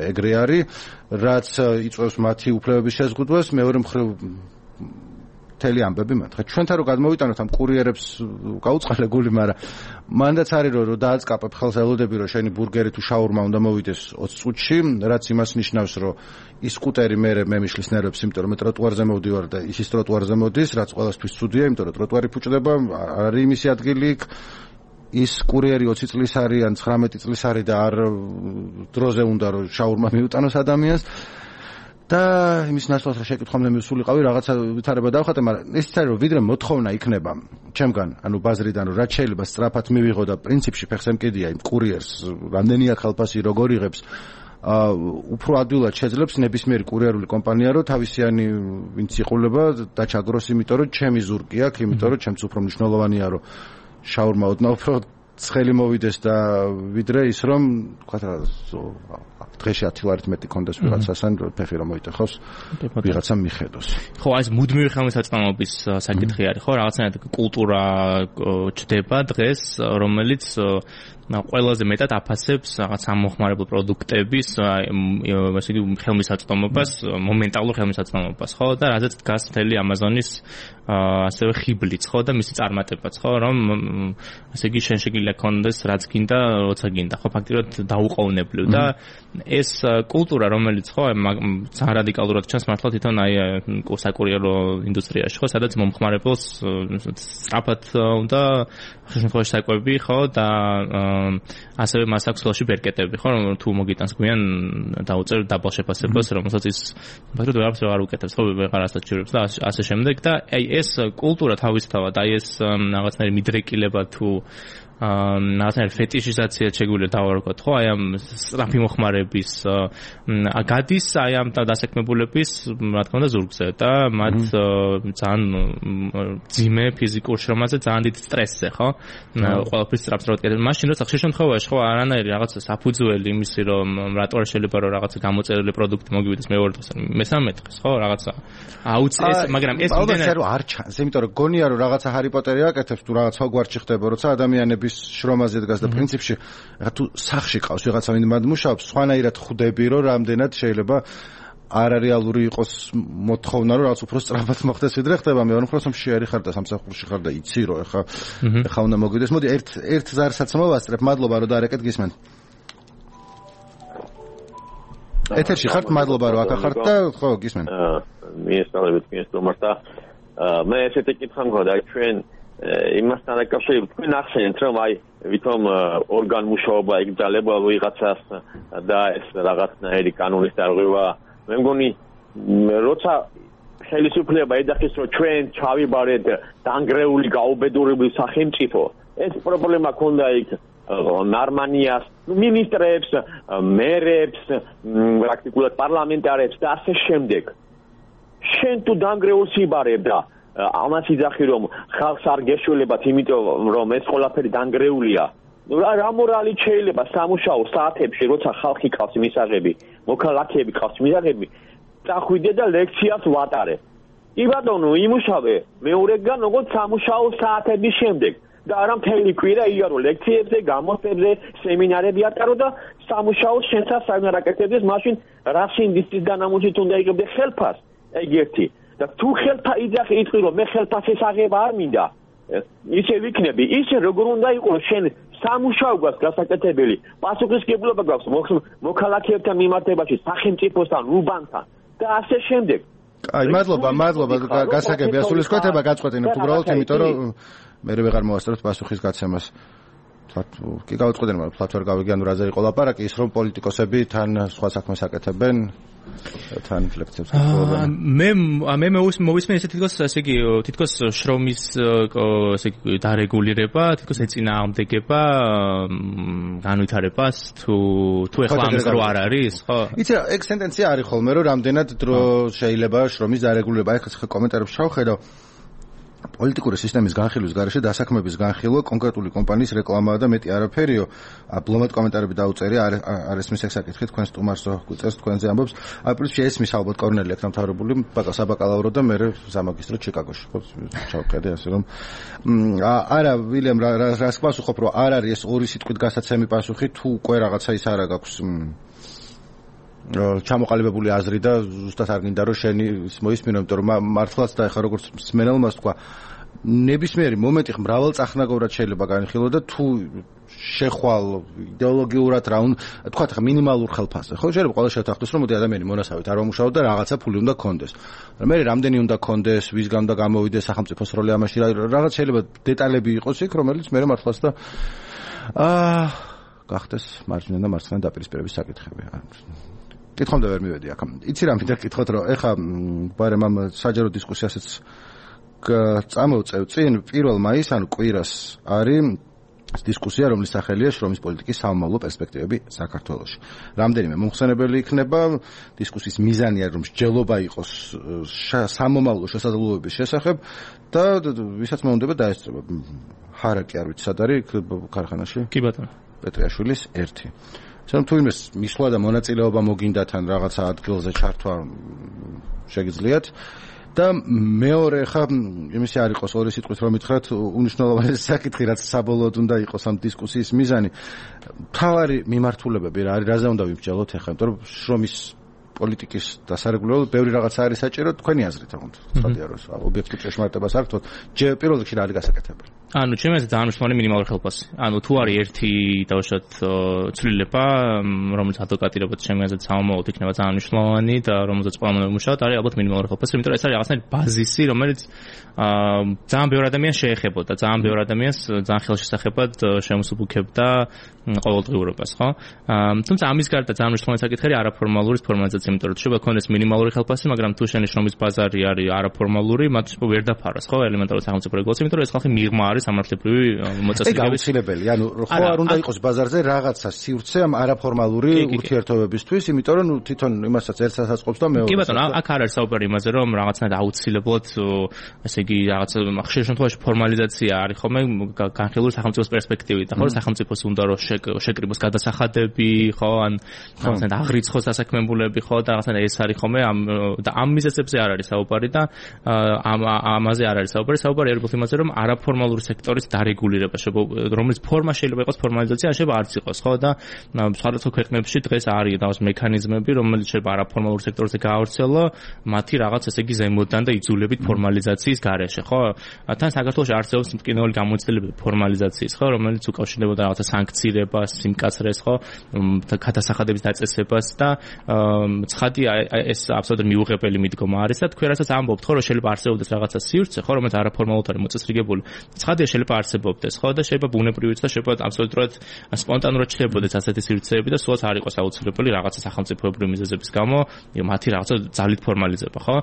ეგრე არის, რაც იწვევს მათი უფლებების შეზღუდვას, მეორე მხრივ მთელი ამბები მათგა. ჩვენთან რო გადმოვიტანოთ ამ კურიერებს გაუწყალე გული, მაგრამ მანდაც არის რომ დააწყაპებ ხელს ელოდები რომ შენი ბურგერი თუ შაურმა უნდა მოვიდეს ოცი წუთში, რაც იმას ნიშნავს რომ ის სკუტერი მე მე მიშლის ნერვებს, იმიტომ რომ მე ტროტუარზე მოვდივარ და ის ის ტროტუარზე მოდის, რაც ყველასთვის ცუდია, იმიტომ რომ ტროტუარი ფუჭდება, არის იმისი ადგილი იქ. ის კურიერი ოცი წლის არის ან ცხრამეტი წლის არის და არ დროზე უნდა რომ შაურმა მიუტანოს ადამიანს. და იმის ნაცვლად რა შეკითხომდე მისულიყავი რაღაცა ვითარება დავხატე, მაგრამ ეს არის რომ ვიდრე მოთხოვნა იქნება ჩემგან, ანუ ბაზრიდან რომ რაც შეიძლება სწრაფად მივიღო და პრინციპში ფეხს ემკიდია იმ კურიერს, რამდენია ხალხი როგორ იღებს, აა უფრო ადვილად შეძლებს ნებისმიერი კურიერული კომპანია რომ თავისიანი ვინც იყულება დაჩაგროს, იმიტომ რომ ჩემი ზურგი აქვს, იმიტომ რომ ჩემს უფრო მნიშვნელოვანია რომ შაურმა ოდნავ უფრო ცხელი მოვიდეს და ვიდრე ის რომ თქვა რა დღეში ათი ლარით მეტი კონდეს ვიღაცასთან ფეხი რომ მოიტეხოს ვიღაცამ მიხედოს. ხო, ეს მუდმივი ხელმისაწვდომობის საკითხი არის, ხო, რაღაცნაირად კულტურა ჩდება დღეს, რომელიც ყველაზე მეტად აფასებს რაღაც ამოხმარებელ პროდუქტების ასე იგი ხელმისაწვდომობას, მომენტალურ ხელმისაწვდომობას, ხო, და რაზეც დგას მთელი Amazon-ის ასევე ხიბლიც, ხო, და მისი წარმატებაც, ხო, რომ ასე იგი შენ შეგიძლია ქონდეს რაც გინდა, როცა გინდა, ხო, ფაქტიურად დაუყოვნებლივ და ეს კულტურა, რომელიც ხო, ძალიან რადიკალურად ჩანს მართლა თვითონ აი საკურიერო ინდუსტრიაში, ხო, სადაც მომხმარებელს სწრაფად უნდა შემთხვევაში საკვები, ხო, და ასევე მას აქვს ხელში ბერკეტები, ხო, რომ თუ მოგიტანს გვიან დაუწერ დაბალ შეფასებას, რომელსაც ის ფაქტობრივად ვეღარც არ უკეთებს, ხო, ვეღარ ასაჩივრებს და ასე შემდეგ და აი ეს კულტურა თავისთავად, აი ეს რაღაცნაირი მიდრეკილება თუ რაღაცნაირი ფეტიშიზაცია შეგვიძლია დავარქოთ, ხო, აი ამ სწრაფი მოხმარების გადის აი ამ დასაქმებულების, რა თქმა უნდა, ზურგზე და მათ ძალიან ძიმე ფიზიკურ შრომაზე, ძალიან დიდ სტრესზე, ხო? ყველაფრის სწრაფად კეთდება. მაშინ როცა ხშირ შემთხვევაში, ხო, არანაირი რაღაცა საფუძველი იმისი, რომ რატო არ შეიძლება რომ რაღაცა გამოწერილი პროდუქტი მოგივიდეს მეორე დღეს, მესამე დღეს, ხო, რაღაცა აუცეს, მაგრამ ეს იმდენად რომ არ ჩანს, იმიტომ რომ გონია რომ რაღაცა ჰარი პოტერი აკეთებს თუ რაღაც ჰოგვარტსში ხდება, როცა ადამიანები შრომაზე დგას და პრინციპში რა თუ სახში ყავს ვიღაცა ვინ მად მუშაობს, სხვანაირად ხვდები რომ რამდენად შეიძლება არარეალური იყოს მოთხოვნა რომ რაღაც უფრო სწრაფად მოხდეს ვიდრე ხდება. მე ვარ უფრო შეერი ხარ და სამსახურში ხარ და იცი რომ ეხა ეხა უნდა მოგიდეს. მოდი ერთ ერთ ზარსაც მოვასწრებ. მადლობა რომ დაარეკეთ, გისმენთ. ეთერში ხართ, მადლობა რომ აქ ხართ და ხო გისმენთ. მიესწავლებით მიესწრომართ და მე ესეთი კითხვა მქონდა ჩვენ იმასთან დაკავშირებით თქვენ ახსენეთ რომ აი ვითომ ორგანმუშაობა იგრძელება ვიღაცას და ეს რაღაცნაირი კანონის დარღვევა, მე მგონი როცა ხელისუფლება ეძახის რომ ჩვენ ჩავიბარეთ დანგრეული გაუბედურებული სახელმწიფო, ეს პრობლემა ქონდა იქ ნარმანიას, მინისტრებს, მერებს, პრაქტიკულად პარლამენტარებს და ასე შემდეგ. შენ თუ დანგრეულს იბარებ და ამას იძახი რომ ხალხს არ გეშველებათ, იმიტომ რომ ეს ყველაფერი დანგრეულია. რა მორალით შეიძლება სამუშაო საათებში, როცა ხალხი ყავს მისაღები, მოქალაქეები ყავს მისაღები, წახვიდე და ლექციას ვატარე. კი ბატონო, იმუშავე მეორეგან როგორც სამუშაო საათების შემდეგ და არა მთელი კვირა იარო ლექციებზე, გამოცდებზე, სემინარები ატარო და სამუშაოს შენსაც საერთოდ არ აკეთებდეს, მაშინ რა სინდისის განამუშით უნდა იღებდე ხელფას, ეგ ერთი. და თუ ხელფა იძახი იტყვი რომ მე ხელფასის აღება არ მინდა, ისე ვიქნები, ისე როგორ უნდა იყოს შენ სამუშაო გვაქვს გასაკეთებელი, პასუხისმგებლობა გვაქვს მოქალაქეებთან მიმართებაში, სახელმწიფოსთან, უბანთან და ასე შემდეგ. აი, მადლობა, მადლობა, გასაგები ასულისკვეთება გაწყვეტინებთ უბრალოდ, იმიტომ რომ მე ვეღარ მოვასწრებთ პასუხის გაცემას. კი გავაწყვეტინე, მაგრამ ფლათ ვერ გავიგე, ანუ რაზე იყო ლაპარაკი, ის რომ პოლიტიკოსები თან სხვა საქმეს აკეთებენ, თან ლექციებს აკეთებენ. მე მე მოვისმენ ესე თითქოს ესე იგი თითქოს შრომის ესე იგი დარეგულირება, თითქოს ეწინააღმდეგება განვითარებას თუ თუ ეხლა ამის დრო არ არის, ხო? იცი რა, ეგ სენტენცია არის ხოლმე, რომ რამდენად დრო შეიძლება შრომის დარეგულირება. აი ხა კომენტარებში შევხედავ პოლიტიკური სისტემის განხილვის გარეშე დასაქმების განხილვა კონკრეტული კომპანიის რეკლამაა და მეტი არაფერიო. აბლომად კომენტარები დაუწერია, არ ესმის ეგ საკითხი, თქვენ სტუმარსო გვიწერს, თქვენზე ამბობს. აი პრინციპში ესმის ალბათ კორნელი აქ დამთავრებული საბაკალავრო და მე სამაგისტრო ჩიკაგოში. ხო, ჩავყედე ასე რომ არა ვილემ რას პასუხობ, რომ არ არის ეს ორი სიტყვით გასაცემი პასუხი, თუ უკვე რაღაცა ის არა გაქვს ჩამოყალიბებული აზრი და ზუსტად არ გინდა რომ შენი მოისმინო, იმიტომ რომ მართლაც და ეხა როგორც მსმენელმაც თქვა, ნებისმიერი მომენტი მრავალწახნაგოვრად შეიძლება განხილო და თუ შეხვალ იდეოლოგიურად რა უნდა თქვა ხა მინიმალურ ხელფასზე ხო შეიძლება ყველა შევთანხმდეს რომ მოდი ადამიანი მონასავით არ მომუშაო და რაღაცა ფული უნდა კონდეს მე რამდენი უნდა კონდეს ვისგან უნდა გამოვიდეს სახელმწიფოს როლი ამაში რაღაც შეიძლება დეტალები იყოს იქ რომელიც მე მართლაც და აა გახდეს მარჯვენა და მარცხენა დაპირისპირების საკითხები კითხომდე ვერ მივედი აქ იცი რა მინდა კითხოთ რომ ეხა ბარემ ამ საჯარო დისკუსიასაც წამოვწევ წინ პირველ მაისს ანუ კვირას არის დისკუსია, რომლის სახელია შრომის პოლიტიკის სამომავლო პერსპექტივები საქართველოში. რამდენიმე მომხსენებელი იქნება დისკუსიის მიზანია, რომ მსჯელობა იყოს სამომავლო შესაძლებლობების შესახებ და ვისაც მოუნდება დაესწრება. ჰარაკი არ ვიცი სად არის ქარხანაში? კი ბატონო. პეტრიაშვილის ერთი. სამ თუ იმის მისვლა და მონაწილეობა მოგინდათ ან რაღაცა ადგილზე ჩართვა შეგიძლიათ და მეორე ხა იმისი არ იყოს ორი სიტყვით რომ მითხრათ უნიშნულოვანესი საკითხი რაც საბოლოოდ უნდა იყოს ამ დისკუსიის მიზანი მთავარი მიმართულებები რა არის რაზე უნდა ვიმსჯელოთ ახლა იმიტომ რომ შრომის პოლიტიკის დასარეგულებლად ბევრი რაღაცა არის საჭირო თქვენი აზრით თქო ცხადია რომ ობიექტურ ჭეშმარიტებას არ გქონთ პირველ რიგში რა არის გასაკეთებელი ანუ ჩემი აზრით ძალიან მნიშვნელოვანი მინიმალური ხელფასი ანუ თუ არის ერთი დავუშვათ ცვლილება რომელიც ადვოკატირებად ჩემი აზრით სამომავლოდ იქნება ძალიან მნიშვნელოვანი და რომელზეც ყველამ უნდა ვიმუშაოთ არის ალბათ მინიმალური ხელფასი იმიტომ რომ ეს არის რაღაცნაირი ბაზისი რომელიც ძალიან ბევრ ადამიანს შეეხებოდა ძალიან ბევრ ადამიანს ძალიან ხელშესახებად შემოსუბუქებდა ყოველდღიურობას ხო თუმცა ამის გარდა ძალიან მნიშვნელოვანი საკითხი არის არაფორმალური ფორმალიზაცია იმიტომ რომ შეიძლება ქონდეს მინიმალური ხელფასი მაგრამ თუ შენი შრომის ბაზარი არის არაფორმალური მათ ვერ დაფაროს ხო ელემენტარული სახელმწიფო რეგულაცია იმიტომ რომ ეს ხალხი მიღმა არის სამართლებრივი მოწესრიგების ეგ აუცილებელი ანუ ხო არ უნდა იყოს ბაზარზე რაღაცა სივრცე ამ არაფორმალური ურთიერთობებისთვის იმიტომ რომ თვითონ იმასაც ერთს ასაწყობს და მეორეს კი ბატონო აქ არ არის საუბარი იმაზე რომ რაღაცნაირად აუცილებლად ესე იგი რაღაც ხშირ შემთხვევაში ფორმალიზაცია არის ხოლმე განხილული სახელმწიფოს პერსპექტივით და ხო სახელმწიფოს უნდა რომ შეკრიბოს გადასახადები ხო ან რაღაცნაირად აღრიცხოს დასაქმებულები ხო და რაღაცნაირად ეს არის ხოლმე ამ და ამ მიზეზებზე არ არის საუბარი და ამ ამაზე არ არის საუბარი საუბარი არის იმაზე რომ არაფორმალური სექტორის დარეგულირება რომელიც ფორმა შეიძლება იყოს ფორმალიზაცია შეიძლება არც იყოს ხო და სხვადასხვა ქვეყნებში დღეს არის რაღაც მექანიზმები რომელიც შეიძლება არაფორმალურ სექტორზე გაავრცელო მათი რაღაც ესე იგი ზემოდან და იძულებით ფორმალიზაციის გარეშე ხო თან საქართველოში არსებობს მტკივნეული გამოცდილებები ფორმალიზაციის ხო რომელიც უკავშირდებოდა რაღაცა სანქცირებას სიმკაცრეს ხო გადასახადების დაწესებას და ცხადია ეს აბსოლუტურად მიუღებელი მიდგომა არის და თქვენ რასაც ამბობთ ხო რომ შეიძლება არსებობდეს რაღაცა სივრცე ხო რომელიც არაფორმალურად არის მოწესრიგებული ცხადია შეიძლება არსებობდეს ხო და შეიძლება ბუნებრივიც და შეიძლება აბსოლუტურად სპონტანურად ჩნდებოდეს ასეთი სივრცეები და სულაც არ იყოს აუცილებელი რაღაცა სახელმწიფოებრივი მიზეზების გამო მათი რაღაცა ძალით ფორმალიზება ხო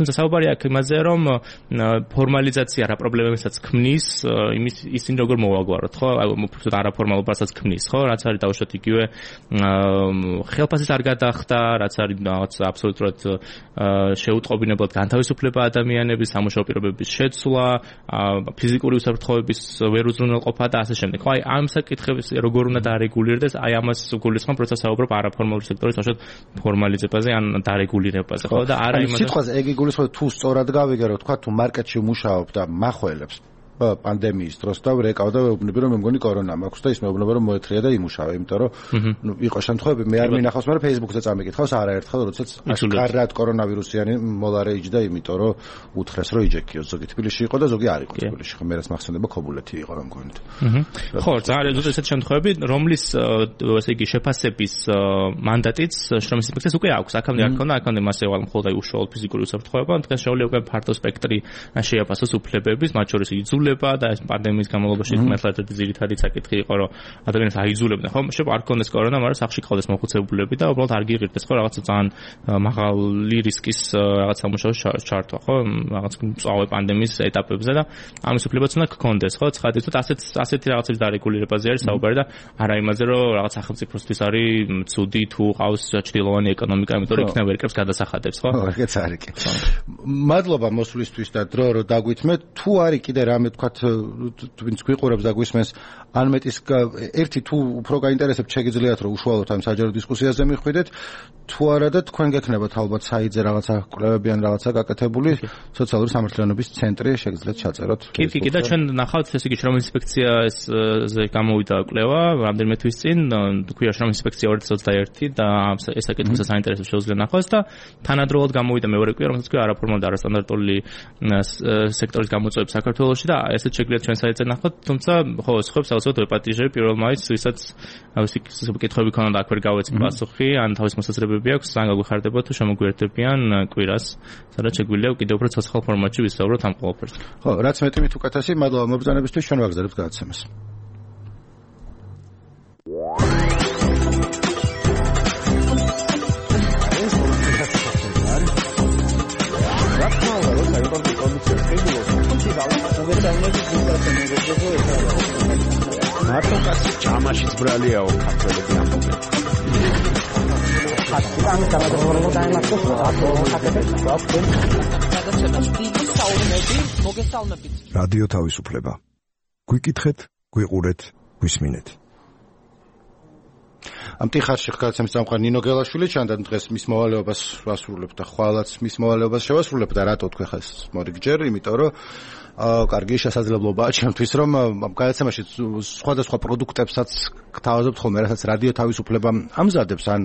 თუმცა საუბარი აქ იმაზე რომ ფორმალიზაცია რა პრობლემებსაც ქმნის იმის ისინი როგორ მოვაგვაროთ ხო უბრალოდ არაფორმალობასაც ქმნის ხო რაც არის დავუშვათ იგივე ხელფასის არ გადახდა რაც არის რაღაც აბსოლუტურად შეუტყობინებლად განთავისუფლება ადამიანების სამუშაო პირობების შეცვლა ფიზიკური უსაფრთხოების ვერ უზრუნველყოფა და ასე შემდეგ. ხო, აი ამ საკითხებს როგორ უნდა დარეგულირდეს, აი ამას გულისხმობ პროცესს საუბრობ არაფორმალური სექტორის თავს ფორმალიზებაზე ან დარეგულირებაზე, ხო და არა იმაზე. სიტყვაზე ეგ იგულისხმება თუ სწორად გავიგე, რომ თქვა თუ მარკეტში მუშაობ და מחველებს პანდემიის დროს და ვრეკავ და ვეუბნები რომ მე მგონი კორონა მაქვს და ის მეუბნება რომ მოეთრია და იმუშავა, იმიტომ რომ ნუ იყო შემთხვევები მე არ მინახავს, მაგრამ Facebook-ზე წამიკითხავს არაერთხელ, როდესაც აშკარად კორონავირუსიანი მოლარე იჯდა, იმიტომ რომ უთხრეს რომ იჯექიოს, ზოგი თბილისში იყო და ზოგი არ იყო თბილისში, ხო მე რაც მახსენდება ქობულეთი იყო რომ მგონით. ხო, ძალიან ზუსტად ესეთ შემთხვევები, რომლის ესე იგი შეფასების მანდატიც შრომის ინსპექციას უკვე აქვს. აქამდე არ ქონდა, აქამდე მასე ვალ მხოლოდ აი უშუალოდ ფიზიკური უსაფრთხოება, დღეს შეუძლია უკვე ფართო სპექტრი შეაფასოს უფლებების, მათ შორის იძულება და ეს პანდემიის განმავლობაში მართლაც ერთი ძირითადი საკითხი იყო რომ ადამიანს აიძულებდნენ ხო შეიძლება არ ქონდეს კორონა მაგრამ სახში ყავდეს მოხუცებულები და უბრალოდ არ გიღირდეს ხო რაღაცა ძალიან მაღალი რისკის რაღაც სამუშაოს ჩართვა ხო რაღაც მწვავე პანდემიის ეტაპებზე და ამის უფლებაც უნდა გქონდეს ხო ცხადია თუ ასეთ ასეთი რაღაცების დარეგულირებაზე არის საუბარი და არა იმაზე რომ რაღაც სახელმწიფოსთვის არის ცუდი თუ ყავს ჭრილოვანი ეკონომიკა იმიტომ რომ იქნება ვერკებს გადასახადებს ხო ეგეც არის კი მადლობა მოსვლისთვის და დრო რომ დაგვითმეთ თუ არის კიდე რამე თქვათ ვინც გვიყურებს და გვისმენს ან მეტის ერთი თუ უფრო გაინტერესებთ შეგიძლიათ რომ უშუალოდ ამ საჯარო დისკუსიაზე მიხვიდეთ თუ არა და თქვენ გექნებათ ალბათ საიტზე რაღაცა კვლევები ან რაღაცა გაკეთებული სოციალური სამართლიანობის ცენტრი შეგიძლიათ ჩაწეროთ. კი, კი, და ჩვენ ნახავთ ესე იგი შრომის ინსპექციაზე გამოვიდა კვლევა რამდენიმე თვის წინ, თქვია შრომის ინსპექცია ორი ათას ოცდაერთი და ეს საკითხი საინტერესო შეუძლია ნახოს და თანადროულად გამოვიდა მეორე კვლევა, რომელსაც ქვია არაფორმალური და არასტანდარტული სექტორის გამოწვევები საქართველოში და ესეც შეგვიძლია ჩვენ საიტზე ნახოთ, თუმცა ხო, სხვებს ალბათ ვეპატიჟები პირველ მაისს, ვისაც ავსი კითხვები ქონდა და აქ ვერ გავეცი პასუხი, ან თავის მოსაზრებები აქვს, ან გაგვიხარდება თუ შემოგვიერთებიან კვირას, სადაც შეგვიძლია კიდევ უფრო ცოცხალ ფორმატში ვისაუბროთ ამ ყველაფერზე. ხო, რაც მეტი მით უკეთესი, მადლობა მობრძანებისთვის, ჩვენ ვაგზავნებთ გადაცემას. მარტო კაცი ჯამაშიც ბრალიაო ქართველები ამბობენ. ხატი გამოგორებოდა დაიმართოს რადიო თავისუფლება. გვიკითხეთ, გვიყურეთ, გვისმინეთ. ამ ტიხარში გადაცემის წამყვანი ნინო გელაშვილი ჩანდა დღეს მის მოვალეობას ვასრულებ და ხვალაც მის მოვალეობას შევასრულებ და რატო თქვენ ხეს მორიგჯერ, იმიტომ რომ აა კარგი შესაძლებლობაა ჩემთვის რომ ამ გადაცემაში სხვადასხვა პროდუქტებსაც გთავაზობთ ხოლმე, რასაც რადიო თავისუფლება ამზადებს ან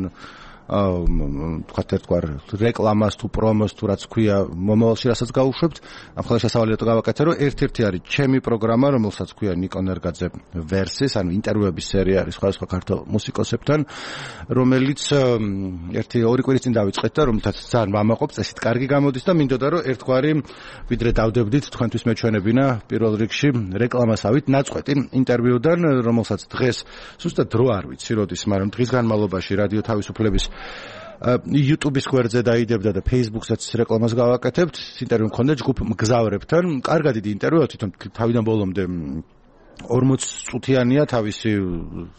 თქვათ ერთგვარ რეკლამას თუ პრომოს თუ რაც ქვია მომავალში რასაც გავუშვებთ, ამ ხოლმე შესავალიათო გავაკეთე რომ ერთ-ერთი არის ჩემი პროგრამა, რომელსაც ქვია ნიკო ნერგაძე ვერსის, ანუ ინტერვიუების სერია არის სხვადასხვა ქართულ მუსიკოსებთან, რომელიც ერთი ორი კვირის წინ დავიწყეთ და რომელთაც ძალიან ვამაყობ, წესით კარგი გამოდის და მინდოდა რომ ერთგვარი ვიდრე დავდებდით თქვენთვის მეჩვენებინა პირველ რიგში რეკლამასავით ნაწყვეტი ინტერვიუდან, რომელსაც დღეს ზუსტად დრო არ ვიცი როდის, მაგრამ დღის განმავლობაში რადიო თავისუფლების YouTube-ის გვერდზე დაიდებდა და Facebook-საც რეკლამას გავაკეთებთ. ინტერვიუ მქონდა ჯგუფ მგზავრებთან. კარგად დიდი ინტერვიუა, თვითონ თავიდან ბოლომდე ორმოც წუთიანია თავისი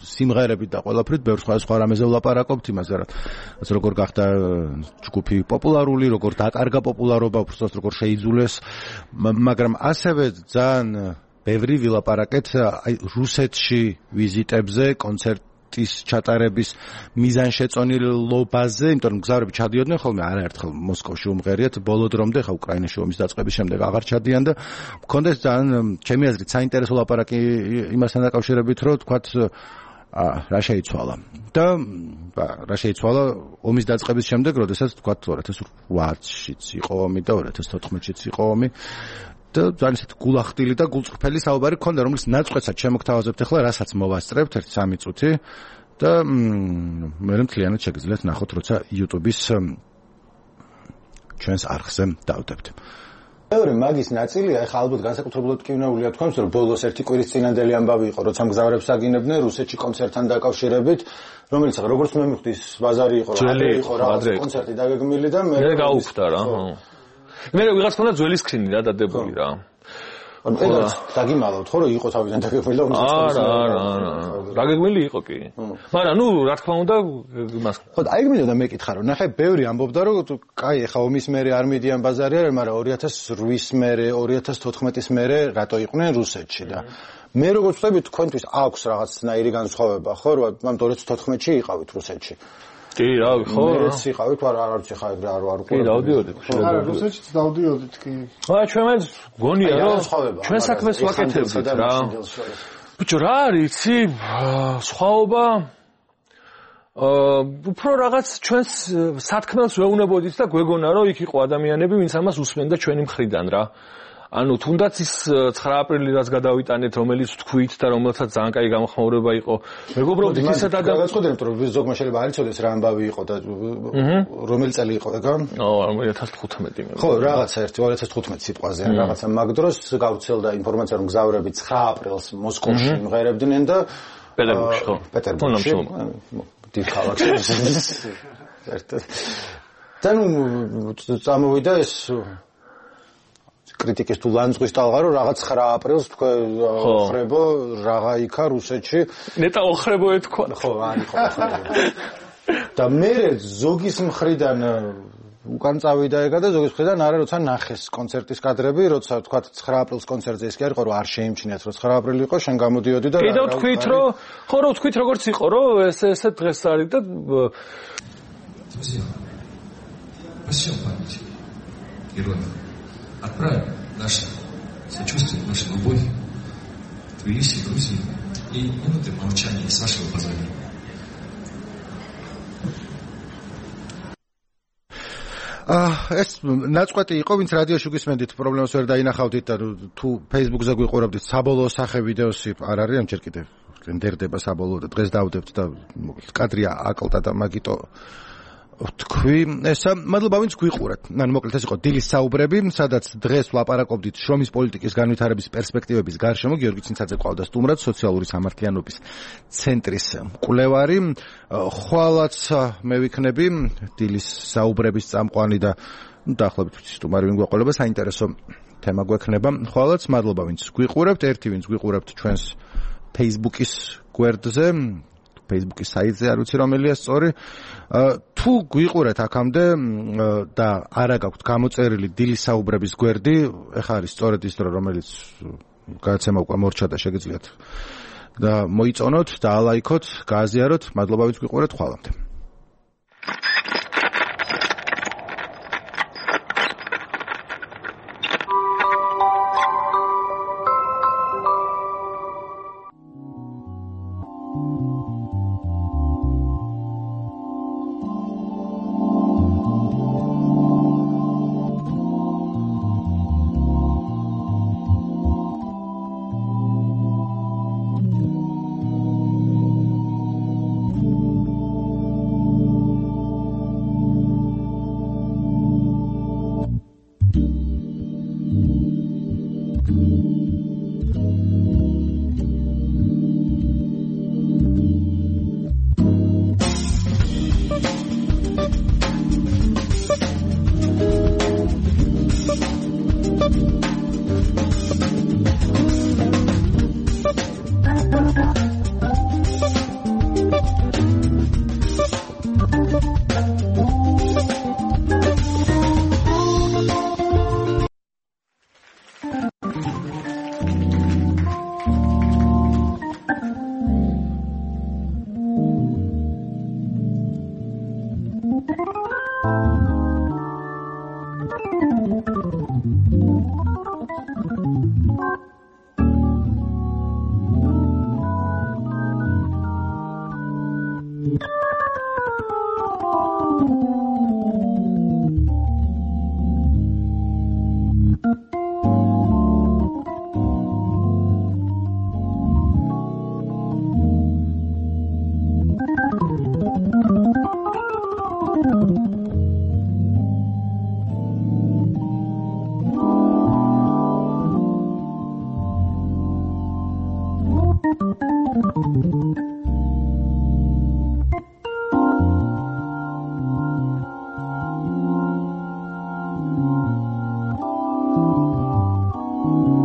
სიმღერებით და ყველაფრით, ბევრ სხვა რამეზე ვლაპარაკობთ იმაზე, რაც როგორ გახდა ჯგუფი პოპულარული, როგორ დაკარგა პოპულარობა, უბრალოდ როგორ შეიძულეს, მაგრამ ასევე ძალიან ბევრი ვილაპარაკეთ აი რუსეთში ვიზიტებზე, კონცერტ ის ჩატარების მიზანშეწონილობაზე, იმიტომ რომ გზავრები ჩადიოდნენ ხოლმე არაერთხელ მოსკოვში უმღერიათ, ბოლო დრომდე ხა უკრაინაში ომის დაწყების შემდეგ აღარ ჩადიან და მქონდეს ძალიან ჩემი აზრით საინტერესო ლაპარაკი იმასთან დაკავშირებით, რომ თქვათ რა შეიცვალა. და რა შეიცვალა ომის დაწყების შემდეგ, როდესაც თქვათ ორი ათას ოთხშიც იყო ომი და ორი ათას თოთხმეტშიც იყო ომი. და ძალიან ისეთ გულახდილი და გულწრფელი საუბარი ქონდა, რომლის ნაწყვეტსაც შემოგთავაზებთ ახლა, რასაც მოვასწრებთ ერთი სამი წუთი და მე მთლიანად შეგიძლიათ ნახოთ, როცა YouTube-ის ჩვენს არხზე დავდებთ. მეორე მაგის ნაწილია, ეხლა ალბათ განსაკუთრებულად კი უნაულია თქვენს, რომ ბოლოს ერთი კვირის წინანდელი ამბავი იყო, როცა მგზავრებს აგინებდნენ რუსეთში კონცერტთან დაკავშირებით, რომელიც ახლა როგორც მე მივხვდი, ბაზარი იყო, ადრე იყო რაღაც კონცერტი დაგეგმილი და მე გაუხდა რა. მე ვიღაც ქონდა ძველი სკრინი რა დადებული რა. ანუ ეს დაგიმალავთ ხო რომ იყო თავიდან დაგეგმილი და უნდა არა, არა, არა. დაგეგმილი იყო კი. მაგრამ ნუ რა თქმა უნდა იმას. ხო, აიგმინე და მეკითხა რომ ნახე ბევრი ამბობდა რომ კაი ეხა ომის მერე არ მიდიან ბაზარი არა, მაგრამ ორი ათას ოთხის მერე, ორი ათას თოთხმეტის მერე რატო იყვნენ რუსეთში და მე როგორც ვთქვი თქვენთვის აქვს რაღაცნაირი განსხვავება ხო რომ ამ ორი ათას თოთხმეტში იყავით რუსეთში. კი, რა, ხო. მეც იყავით, არა, არ ვიცი ხა ეგრე არ ვარ უკვე. კი, დავდიოდით. არა, რუსეთშიც დავდიოდით კი. აა, ჩვენ მეც გონია რომ ჩვენ საქმეს ვაკეთებდით რა. ბიჭო, რა არის, იცი, სხვაობა აა, უფრო რაღაც ჩვენს სათქმელს ვეუბნებოდით და გვეგონა რომ იქ იყო ადამიანები, ვინც ამას უსმენდა ჩვენი მხრიდან რა. ანუ თუნდაც ის ცხრა აპრილი რაც გადავიტანეთ, რომელიც თქვით და რომელსაც ძალიან კაი გამოხმაურება იყო. მეგობრობთ, ისეთ ადამიანებს გაგაცხოდეთ, რომ ზოგმა შეიძლება არ იცოდეს რა ამბავი იყო და რომელი წელი იყო ეგა? ო, ორი ათას თხუთმეტი მე. ხო, რაღაცა ერთი ორი ათას თხუთმეტი სიტყვაზე, რაღაცა მაგ დროს გავრცელდა ინფორმაცია, რომ მგზავრები ცხრა აპრილს მოსკოვში იმღერებდნენ და პეტერბურგში ხო? პეტერბურგში. დიდ ქალაქში. ერთად. და ნუ წამოვიდა ეს კრიტიკის თუ ლანძღვის ტალღა რომ რაღაც ცხრა აპრილს თქვენ ხრებო რაღა იქა რუსეთში ნეტა ოხრებო ეთქვა ხო არ იყო და მე ზოგის მხრიდან უკან წავიდა ეგა და ზოგის მხრიდან არა როცა ნახეს კონცერტის კადრები როცა თქვა ცხრა აპრილს კონცერტზე ის კი არ იყო რომ არ შეიმჩნიათ რომ ცხრა აპრილი იყო შენ გამოდიოდი და კიდევ თქვით რომ ხო რომ თქვით როგორც იყო რომ ეს ესე დღეს არის და Друзья, во всем память героев. Отправим наше сочувствие, нашу любовь в Тбилиси, Грузии и минуты молчания с вашего позволения. ეს ნაწყვეტი იყო, ვინც რადიოში გვისმენდით, პრობლემას ვერ დაინახავდით და თუ Facebook-ზე გვიყურებდით, საბოლოო სახე ვიდეოსი არ არის, ამჯერ კიდევ რენდერდება საბოლოო და დღეს დავდებთ და კადრია აკლდა და მაგიტო თქვი, ესა მადლობა ვინც გვიყურეთ. ანუ მოკლედ ეს იყო დილის საუბრები, სადაც დღეს ვლაპარაკობდით შრომის პოლიტიკის განვითარების პერსპექტივების გარშემო. გიორგი ცინცაძე ყავდა სტუმრად, სოციალური სამართლიანობის ცენტრის მკვლევარი. ხვალაც მე ვიქნები დილის საუბრების წამყვანი და დაახლოებით სტუმარი ვინ გვეყოლება, საინტერესო თემა გვექნება. ხვალაც მადლობა ვინც გვიყურებთ, ერთი ვინც გვიყურებთ ჩვენს Facebook-ის გვერდზე, Facebook-ის საიტზე, არ ვიცი რომელია სწორი. თუ გვიყურეთ აქამდე და არა გაქვთ გამოწერილი დილის საუბრების გვერდი, ეხლა არის სწორედ ის დრო, რომელიც გადაცემა უკვე მორჩა და შეგიძლიათ და მოიწონოთ და ალაიქოთ, გააზიაროთ. მადლობა ვინც გვიყურეთ, ხვალამდე. Thank you.